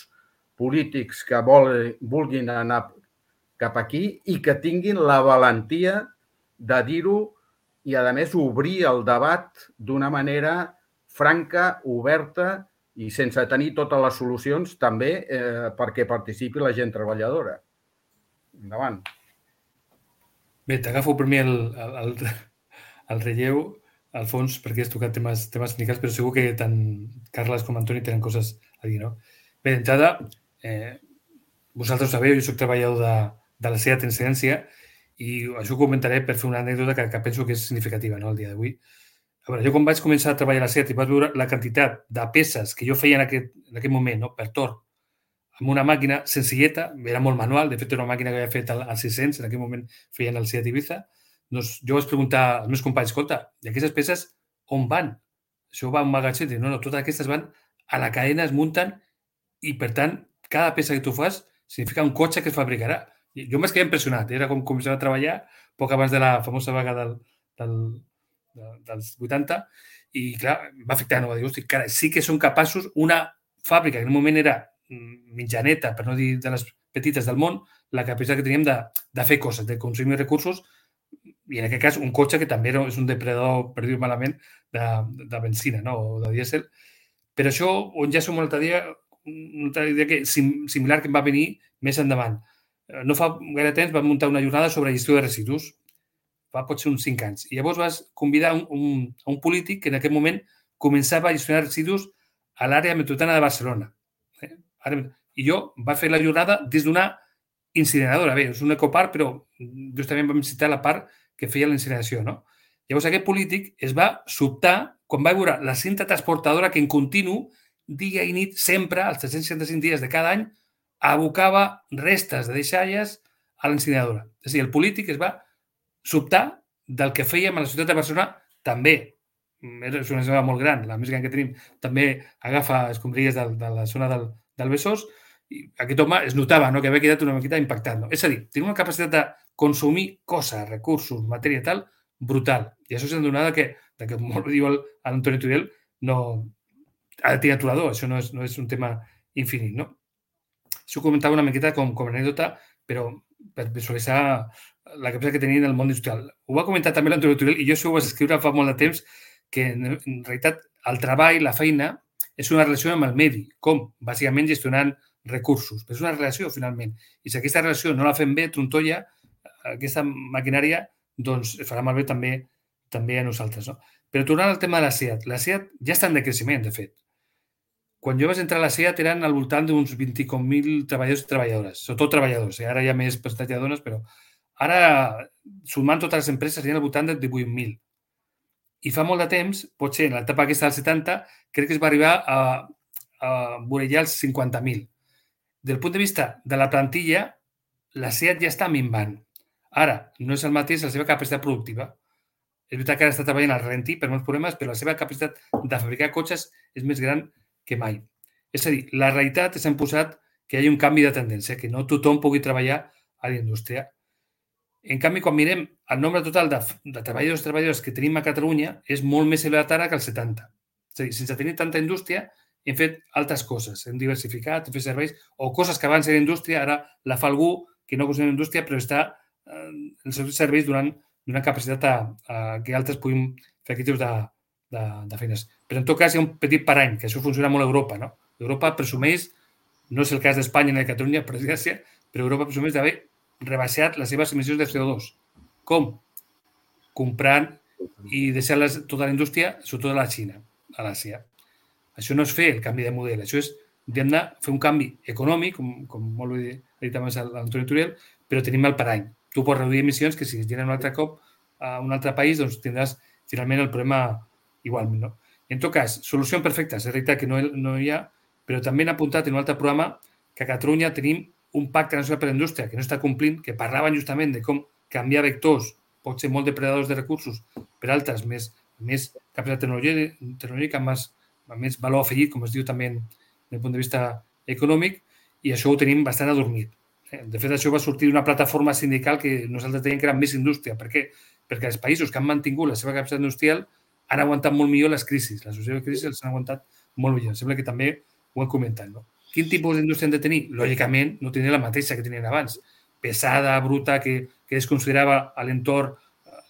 polítics que vol, vulguin anar cap aquí i que tinguin la valentia de dir-ho i, a més, obrir el debat d'una manera franca, oberta i sense tenir totes les solucions també eh, perquè participi la gent treballadora. Endavant. Bé, t'agafo per mi el, el, el relleu, Alfons, perquè has tocat temes, temes sindicals, però segur que tant Carles com Antoni tenen coses a dir, no? Bé, d'entrada, eh, vosaltres ho sabeu, jo soc treballador de, de la SEAT Incidència i això ho comentaré per fer una anècdota que, que penso que és significativa, no?, el dia d'avui. A veure, jo quan vaig començar a treballar a la SEAT i vaig veure la quantitat de peces que jo feia en aquest, en aquest moment, no?, per torn, amb una màquina senzilleta, era molt manual, de fet era una màquina que havia fet al, al sis-cents, en aquell moment feien el SEAT Ibiza. Doncs jo vaig preguntar als meus companys, escolta, i aquestes peces on van? Això va a un magatzem? No, no, totes aquestes van a la cadena, es munten i, per tant, cada peça que tu fas significa un cotxe que es fabricarà. Jo m'he quedat impressionat, era com començar a treballar poc abans de la famosa vaga del, del, dels vuitanta i, clar, va afectar, no? Va dir, hosti, cara, sí que són capaços, una fàbrica que en un moment era mitjaneta, per no dir de les petites del món, la capacitat que teníem de, de fer coses, de consumir recursos, i en aquest cas un cotxe que també és un depredador, per dir-ho malament, de, de benzina, no?, o de dièsel. Però això, on ja som una altra dia, una altra idea que, similar que em va venir més endavant. No fa gaire temps vam muntar una jornada sobre gestió de residus, fa potser uns cinc anys. I llavors vas convidar un, un, a un polític que en aquest moment començava a gestionar residus a l'àrea metropolitana de Barcelona. Eh? I jo va fer la jornada des d'una incineradora. Bé, és un ecoparc, però justament vam citar la part que feia la incineració, no? Llavors aquest polític es va sobtar quan va veure la cinta transportadora que en continu, dia i nit, sempre, als tres-cents seixanta-cinc dies de cada any, abocava restes de deixalles a l'incineradora. És a dir, el polític es va sobtar del que fèiem a la ciutat de Barcelona també. És una zona molt gran, la més gran que tenim, també agafa escombraries de, de la zona del, del Besòs, i aquest home es notava, no?, que havia quedat una miqueta impactat. No? És a dir, tenia una capacitat de consumir coses, recursos, matèria tal, brutal. I això s'ha donat que, que molt diu l'Antoni Tudel, no ha de tenir aturador, això no és, no és un tema infinit, no? Això ho comentava una miqueta com, com anècdota, però per visualitzar la capacitat que tenien el món industrial. Ho va comentar també l'Antoni Turell i jo això ho vaig escriure fa molt de temps, que en realitat el treball, la feina, és una relació amb el medi, com? Bàsicament gestionant recursos. Però és una relació, finalment. I si aquesta relació no la fem bé, trontolla, aquesta maquinària doncs es farà malbé també també a nosaltres. No? Però tornant al tema de la SEAT, la SEAT ja està en decreixement, de fet. Quan jo vaig entrar a la SEAT eren al voltant d'uns vint mil treballadors i treballadores, sobretot treballadors, eh? Ara hi ha més percentatge de dones, però ara, sumant totes les empreses, hi ha al voltant de divuit mil. I fa molt de temps, potser en l'etapa aquesta dels setanta, crec que es va arribar a, a vorellar els cinquanta mil. Del punt de vista de la plantilla, la SEAT ja està minvant. Ara, no és el mateix la seva capacitat productiva. És veritat que ara està treballant al ralentí per molts problemes, però la seva capacitat de fabricar cotxes és més gran que mai. És a dir, la realitat és imposat que hi hagi un canvi de tendència, que no tothom pugui treballar a la indústria. En canvi, quan mirem el nombre total de, de treballadors i treballadors que tenim a Catalunya, és molt més elevat ara que el setanta. És a dir, sense tenir tanta indústria, hem fet altres coses. Hem diversificat, hem fet serveis, o coses que abans era indústria, ara la fa algú que no considera indústria, però està eh, els seus serveis donant una capacitat a, a que altres puguin fer aquest tipus de, de, de feines. Però en tot cas hi ha un petit parany, que això funciona molt a Europa. No? Europa presumeix, no és el cas d'Espanya ni de Catalunya, per desgràcia, però Europa presumeix d'haver rebaixat les seves emissions de C O dos. Com? Comprant i deixant tota la indústria, sobretot a la Xina, a l'Àsia. Això no és fer el canvi de model, això és hem de fer un canvi econòmic, com, com molt bé ha dit abans l'Antoni Turell, però tenim el parany. Tu pots reduir emissions que si es generen un altre cop a un altre país, doncs tindràs finalment el problema igualment. No? En tot cas, solucions perfectes, és veritat que no, no hi ha, però també han apuntat en un altre programa que a Catalunya tenim un pacte nacional per a la indústria que no està complint, que parlaven justament de com canviar vectors, pot ser molt depredadors de recursos, per altres més, més capacitat tecnològica, amb més, amb més valor afegit, com es diu també des del punt de vista econòmic, i això ho tenim bastant adormit. De fet, això va sortir d'una plataforma sindical que nosaltres dèiem que era més indústria. Per què? Perquè els països que han mantingut la seva capacitat industrial han aguantat molt millor les crisis. Les successives crisis els han aguantat molt millor. Sembla que també ho hem comentat, no? Quin tipus d'indústria han de tenir? Lògicament, no tindrien la mateixa que tenien abans. Pesada, bruta, que, que es considerava a l'entorn.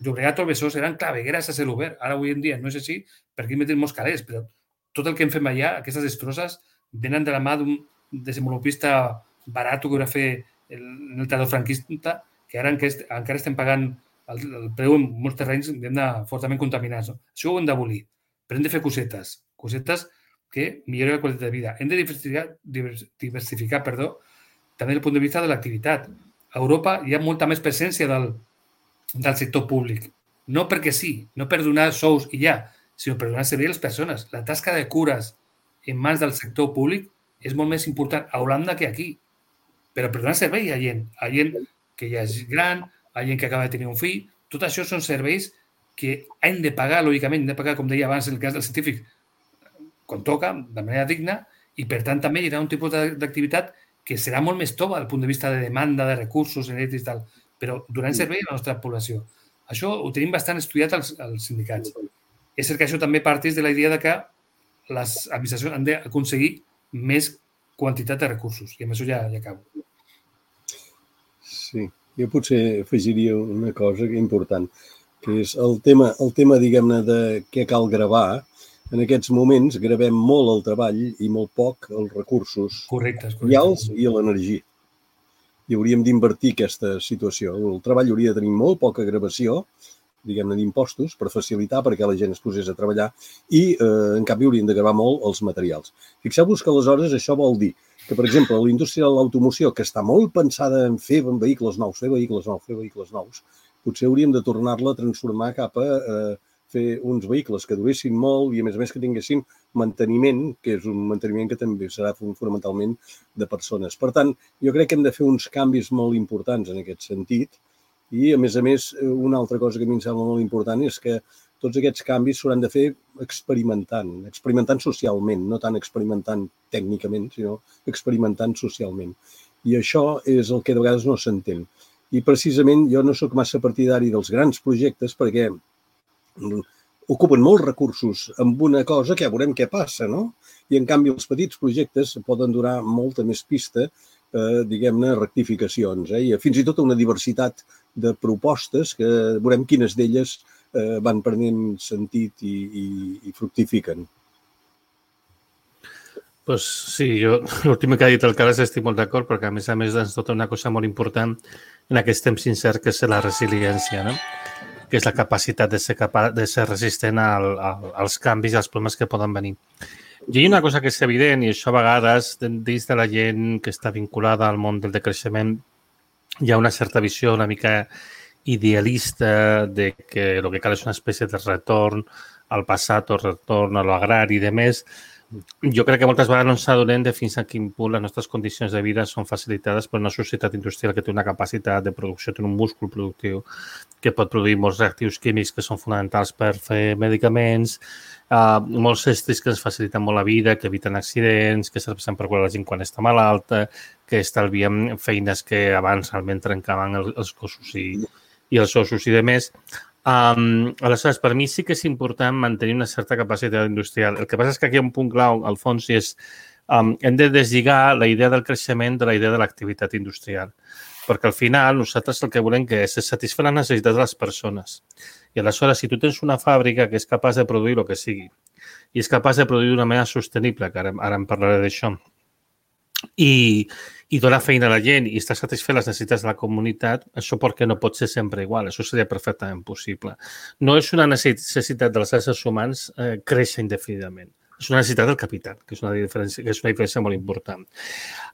Llobregat o Besòs eren clavegueres a cel obert. Ara, avui en dia, no és així, perquè hi meten molts calés, però tot el que en fem allà, aquestes destrosses, venen de la mà d'un desenvolupista barat que va fer el, el tardor franquista, que ara encara estem pagant el, el preu en molts terrenys de, fortament contaminats. No? Això ho hem d'abolir, però hem de fer cosetes, cosetes que millori la qualitat de vida. Hem de diversificar, diversificar perdó, també des del punt de vista de l'activitat. A Europa hi ha molta més presència del, del sector públic. No perquè sí, no per donar sous i ja, sinó per donar servei a les persones. La tasca de cures en mans del sector públic és molt més important a Holanda que aquí. Però per donar servei a gent, a gent que ja és gran, a gent que acaba de tenir un fill, tot això són serveis que hem de pagar, lògicament, hem de pagar, com deia abans, en el cas del científic, quan toca, de manera digna, i per tant també hi haurà un tipus d'activitat que serà molt més tova del punt de vista de demanda de recursos elèctrics i tal, però donant servei a la nostra població. Això ho tenim bastant estudiat als, als sindicats. És cert que això també parteix de la idea de que les administracions han d'aconseguir més quantitat de recursos, i amb això ja, ja acabo. Sí, jo potser afegiria una cosa important, que és el tema, el tema diguem-ne, de què cal gravar. En aquests moments gravem molt el treball i molt poc els recursos reals i l'energia. I hauríem d'invertir aquesta situació. El treball hauria de tenir molt poca gravació, diguem-ne, d'impostos per facilitar perquè la gent es posés a treballar i, eh, en canvi, haurien de gravar molt els materials. Fixeu-vos que aleshores això vol dir que, per exemple, la indústria de l'automoció, que està molt pensada en fer vehicles nous, fer vehicles nous, fer vehicles nous, potser hauríem de tornar-la a transformar cap a eh, fer uns vehicles que duressin molt i, a més a més, que tinguessin manteniment, que és un manteniment que també serà fonamentalment de persones. Per tant, jo crec que hem de fer uns canvis molt importants en aquest sentit i, a més a més, una altra cosa que a mi em sembla molt important és que tots aquests canvis s'hauran de fer experimentant, experimentant socialment, no tant experimentant tècnicament, sinó experimentant socialment. I això és el que de vegades no s'entén. I, precisament, jo no sóc massa partidari dels grans projectes perquè ocupen molts recursos amb una cosa que ja veurem què passa, no? I, en canvi, els petits projectes poden donar molta més pista eh, diguem-ne, rectificacions, eh? I fins i tot una diversitat de propostes que veurem quines d'elles eh, van prenent sentit i, i, i fructifiquen. Pues sí, jo l'últim que ha dit el Carles estic molt d'acord, perquè a més a més ens tota una cosa molt important en aquest temps incert, que és la resiliència, no? Que és la capacitat de ser, capa de ser resistent al, al, als canvis i als problemes que poden venir. I hi ha una cosa que és evident, i això a vegades dins de la gent que està vinculada al món del decreixement hi ha una certa visió una mica idealista de que el que cal és una espècie de retorn al passat o retorn a l'agrari i de més. Jo crec que moltes vegades no ens adonem de fins a quin punt les nostres condicions de vida són facilitades per una societat industrial que té una capacitat de producció, té un múscul productiu que pot produir molts reactius químics que són fonamentals per fer medicaments, uh, molts estris que ens faciliten molt la vida, que eviten accidents, que serveixen per curar la gent quan està malalta, que estalviem feines que abans realment trencaven els cossos i, i els ossos i de més. Um, aleshores, per mi sí que és important mantenir una certa capacitat industrial. El que passa és que aquí hi ha un punt clau, al fons, i és um, hem de deslligar la idea del creixement de la idea de l'activitat industrial. Perquè al final nosaltres el que volem que és, és satisfer les necessitats de les persones. I aleshores, si tu tens una fàbrica que és capaç de produir el que sigui i és capaç de produir d'una manera sostenible, que ara, ara en parlaré d'això, i, i donar feina a la gent i estar satisfet les necessitats de la comunitat, això perquè no pot ser sempre igual. Això seria perfectament possible. No és una necessitat dels éssers humans eh, créixer indefinidament. És una necessitat del capital, que és una diferència, que és una diferència molt important.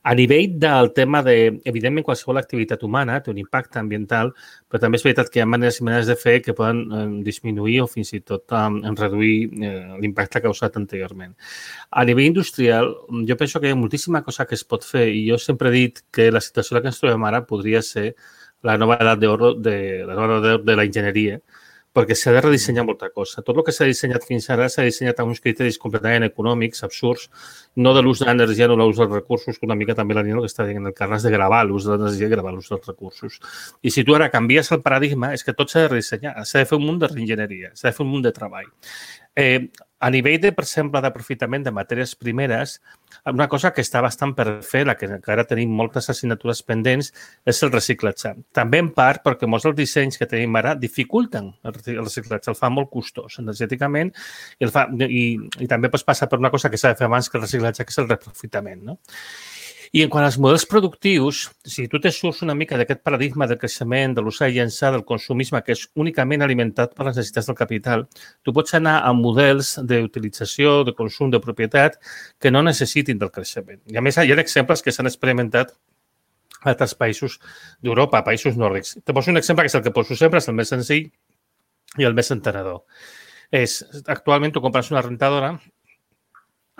A nivell del tema de, evidentment, qualsevol activitat humana té un impacte ambiental, però també és veritat que hi ha maneres i maneres de fer que poden eh, disminuir o fins i tot eh, reduir eh, l'impacte causat anteriorment. A nivell industrial, jo penso que hi ha moltíssima cosa que es pot fer i jo sempre he dit que la situació que ens trobem ara podria ser la nova edat d'or de, la nova edat d'or de la enginyeria, perquè s'ha de redissenyar molta cosa. Tot el que s'ha dissenyat fins ara s'ha dissenyat amb uns criteris completament econòmics, absurds, no de l'ús de l'energia, no l'ús dels recursos, que una mica també la Nina que està dient el Carles, de gravar l'ús de l'energia i gravar l'ús dels recursos. I si tu ara canvies el paradigma, és que tot s'ha de redissenyar, s'ha de fer un munt de reenginyeria, s'ha de fer un munt de treball. Eh, a nivell, de, per exemple, d'aprofitament de matèries primeres, una cosa que està bastant per fer, la que encara tenim moltes assignatures pendents, és el reciclatge. També en part perquè molts dels dissenys que tenim ara dificulten el reciclatge, el fa molt costós energèticament i, el fa, i, i també pues, passa per una cosa que s'ha de fer abans que el reciclatge, que és el reprofitament, no? I en quant als models productius, si tu te surts una mica d'aquest paradigma del creixement, de l'usar i llançar, del consumisme, que és únicament alimentat per les necessitats del capital, tu pots anar a models d'utilització, de consum, de propietat, que no necessitin del creixement. I a més, hi ha exemples que s'han experimentat a altres països d'Europa, països nòrdics. Te poso un exemple que és el que poso sempre, és el més senzill i el més entenedor. És, actualment tu compres una rentadora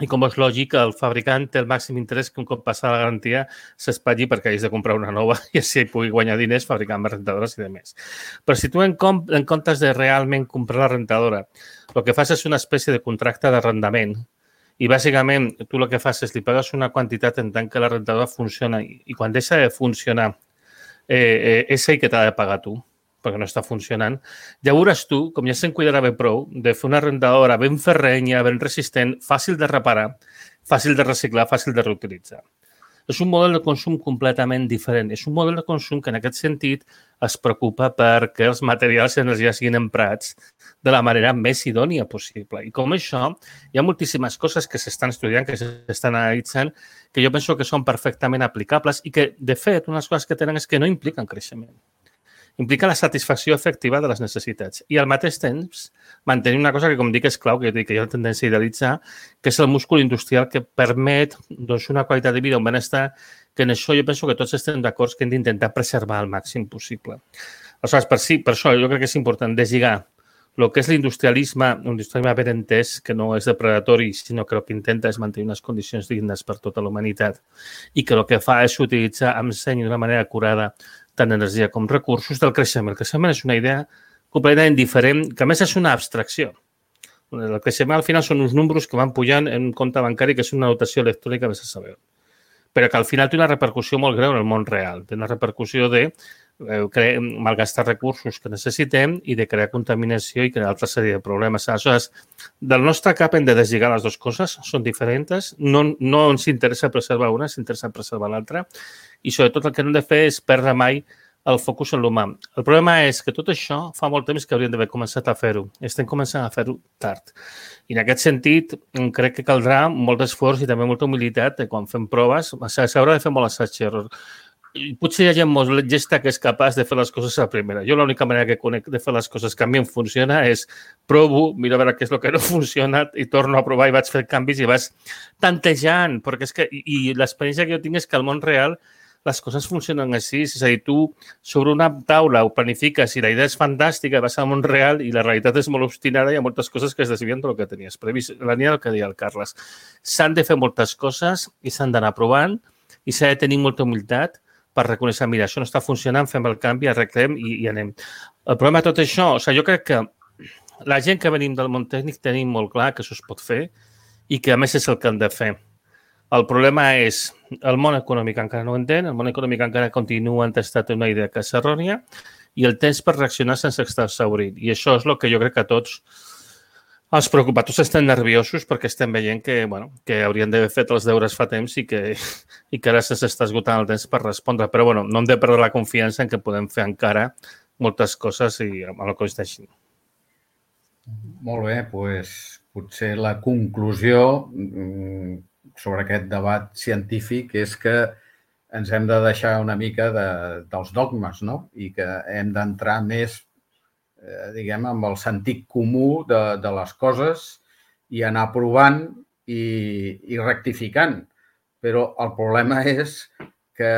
i com és lògic, el fabricant té el màxim interès que un cop passa la garantia s'espatlli perquè hagis de comprar una nova i així pugui guanyar diners fabricant més rentadores i de més. Però si tu en, en comptes de realment comprar la rentadora, el que fas és una espècie de contracte d'arrendament i bàsicament tu el que fas és li pagues una quantitat en tant que la rentadora funciona i, i quan deixa de funcionar eh, eh, és ell que t'ha de pagar tu, perquè no està funcionant, llavors tu, com ja se'n cuidarà bé prou, de fer una rentadora ben ferrenya, ben resistent, fàcil de reparar, fàcil de reciclar, fàcil de reutilitzar. És un model de consum completament diferent. És un model de consum que en aquest sentit es preocupa perquè els materials i energia siguin emprats de la manera més idònia possible. I com això, hi ha moltíssimes coses que s'estan estudiant, que s'estan analitzant, que jo penso que són perfectament aplicables i que, de fet, unes coses que tenen és que no impliquen creixement. Implica la satisfacció efectiva de les necessitats i al mateix temps mantenir una cosa que, com dic, és clau, que, que hi ha una tendència a idealitzar, que és el múscul industrial que permet doncs, una qualitat de vida, un benestar, que en això jo penso que tots estem d'acord que hem d'intentar preservar al màxim possible. Aleshores, per, sí, per això jo crec que és important deslligar el que és l'industrialisme, un industrialisme ben entès, que no és depredatori, sinó que el que intenta és mantenir unes condicions dignes per tota la humanitat i que el que fa és utilitzar amb seny d'una manera acurada tant energia com recursos del creixement. El creixement és una idea completament diferent, que a més és una abstracció. El creixement al final són uns números que van pujant en un compte bancari que és una notació electrònica, vés a saber. Però que al final té una repercussió molt greu en el món real. Té una repercussió de malgastar recursos que necessitem i de crear contaminació i crear altra sèrie de problemes. Aleshores, del nostre cap hem de deslligar les dues coses, són diferents, no, no ens interessa preservar una, ens interessa preservar l'altra i sobretot el que hem de fer és perdre mai el focus en l'humà. El problema és que tot això fa molt temps que hauríem d'haver començat a fer-ho. Estem començant a fer-ho tard. I en aquest sentit, crec que caldrà molt d'esforç i també molta humilitat quan fem proves. S'haurà de fer molt assaig i error. Potser hi ha gent molt llesta que és capaç de fer les coses a la primera. Jo l'única manera que conec de fer les coses que a mi em funciona és provo, miro a veure què és el que no ha funcionat i torno a provar i vaig fer canvis i vas tantejant. Perquè és que, i l'experiència que jo tinc és que al món real les coses funcionen així. És a dir, tu sobre una taula ho planifiques i la idea és fantàstica, vas al món real i la realitat és molt obstinada i hi ha moltes coses que es desvien del que tenies previst. La línia del que deia el Carles. S'han de fer moltes coses i s'han d'anar provant i s'ha de tenir molta humilitat per reconèixer, mira, això no està funcionant, fem el canvi, arreglem i, i anem. El problema de tot això, o sigui, jo crec que la gent que venim del món tècnic tenim molt clar que això es pot fer i que a més és el que hem de fer. El problema és el món econòmic encara no ho entén, el món econòmic encara continua entestat en una idea que és errònia i el temps per reaccionar sense estar exhaurit. I això és el que jo crec que a tots els preocupats estan nerviosos perquè estem veient que, bueno, que haurien d'haver fet els deures fa temps i que, i que ara s'està esgotant el temps per respondre. Però bueno, no hem de perdre la confiança en que podem fer encara moltes coses i amb el que es deixin. Molt bé, doncs potser la conclusió sobre aquest debat científic és que ens hem de deixar una mica de, dels dogmes, no? I que hem d'entrar més, eh, diguem, amb el sentit comú de, de les coses i anar provant i, i rectificant. Però el problema és que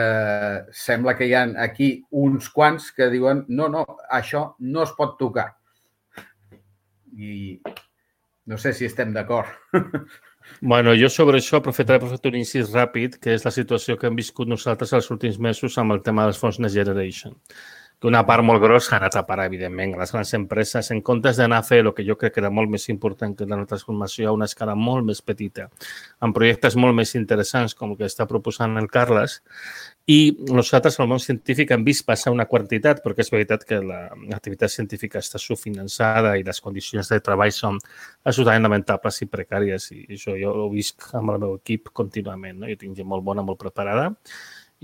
sembla que hi ha aquí uns quants que diuen no, no, això no es pot tocar. I no sé si estem d'acord. Bueno, jo sobre això aprofitaré per fer un incís ràpid, que és la situació que hem viscut nosaltres els últims mesos amb el tema dels fons Next Generation. Que una part molt grossa ha anat a parar, evidentment, a les grans empreses, en comptes d'anar a fer el que jo crec que era molt més important que la transformació a una escala molt més petita, amb projectes molt més interessants com el que està proposant el Carles. I nosaltres, al món científic, hem vist passar una quantitat, perquè és veritat que l'activitat científica està subfinançada i les condicions de treball són absolutament lamentables i precàries. I això jo ho visc amb el meu equip contínuament. No? Jo tinc gent molt bona, molt preparada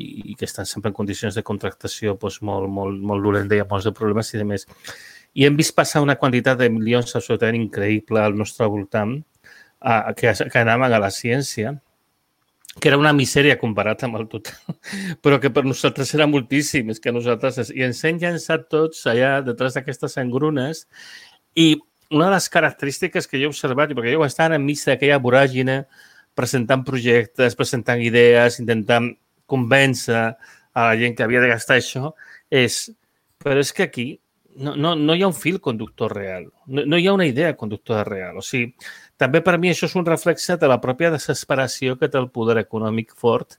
i que estan sempre en condicions de contractació doncs, molt, molt, molt dolenta i amb molts de problemes i de més. I hem vist passar una quantitat de milions absolutament increïble al nostre voltant a, que, que anaven a la ciència, que era una misèria comparat amb el total, però que per nosaltres era moltíssim, és que nosaltres... I ens hem llançat tots allà detrás d'aquestes engrunes i una de les característiques que jo he observat, perquè jo estava enmig d'aquella voràgine presentant projectes, presentant idees, intentant convèncer a la gent que havia de gastar això, és... Però és que aquí no, no, no hi ha un fil conductor real, no, no hi ha una idea conductora real. O sigui, també per mi això és un reflexe de la pròpia desesperació que té el poder econòmic fort,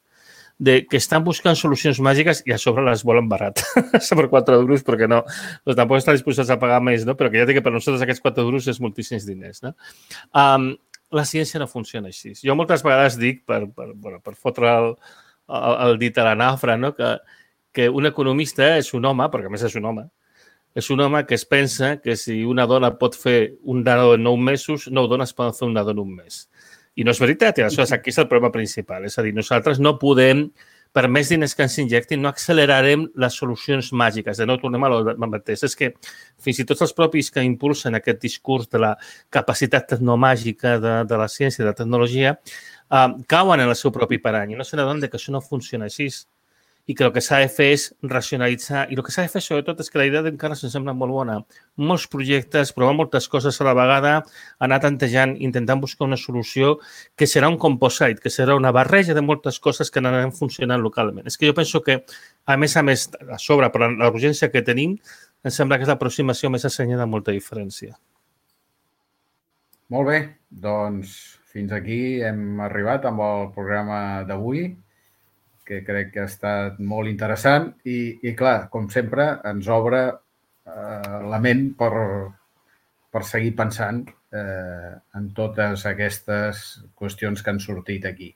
de que estan buscant solucions màgiques i a sobre les volen barat. Per quatre duros, perquè no, doncs tampoc estan disposats a pagar més, no? Però que ja té que per nosaltres aquests quatre duros és moltíssims diners. No? Um, la ciència no funciona així. Jo moltes vegades dic, per, per, bueno, per fotre el, el, el dit a la nafra, no? que, que un economista és un home, perquè a més és un home, és un home que es pensa que si una dona pot fer un nadó en nou mesos, nou dones poden fer un nadó en un mes. I no és veritat, i aleshores aquí és el problema principal. És a dir, nosaltres no podem, per més diners que ens injectin, no accelerarem les solucions màgiques. De nou tornem a lo mateix. És que fins i tot els propis que impulsen aquest discurs de la capacitat tecnomàgica de, de la ciència i de la tecnologia uh, cauen en el seu propi parany i no se n'adonen que això no funciona així. I que el que s'ha de fer és racionalitzar. I el que s'ha de fer, sobretot, és que la idea d'encara se'ns sembla molt bona. Molts projectes, provar moltes coses a la vegada, anar tantejant, intentant buscar una solució que serà un composite, que serà una barreja de moltes coses que anaran funcionant localment. És que jo penso que, a més a més, a sobre, per la urgència que tenim, em sembla que és l'aproximació més assenyada amb molta diferència. Molt bé, doncs fins aquí hem arribat amb el programa d'avui, que crec que ha estat molt interessant i, i clar, com sempre, ens obre eh, la ment per, per seguir pensant eh, en totes aquestes qüestions que han sortit aquí.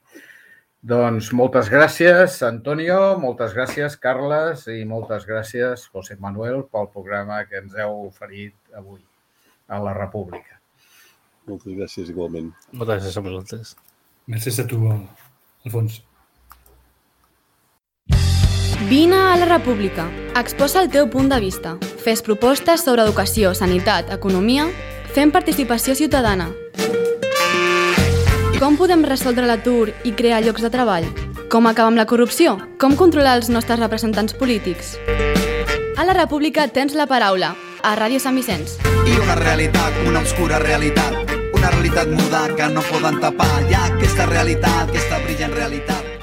Doncs moltes gràcies, Antonio, moltes gràcies, Carles, i moltes gràcies, José Manuel, pel programa que ens heu oferit avui a la República. Moltes gràcies igualment. Moltes gràcies a vosaltres. Gràcies a tu, Alfons. Vine a la República. Exposa el teu punt de vista. Fes propostes sobre educació, sanitat, economia. Fem participació ciutadana. Com podem resoldre l'atur i crear llocs de treball? Com acabar amb la corrupció? Com controlar els nostres representants polítics? A la República tens la paraula, a Ràdio Sant Vicenç. I una realitat, una obscura realitat, una realitat muda que no poden tapar. Hi ha aquesta realitat, aquesta brillant realitat.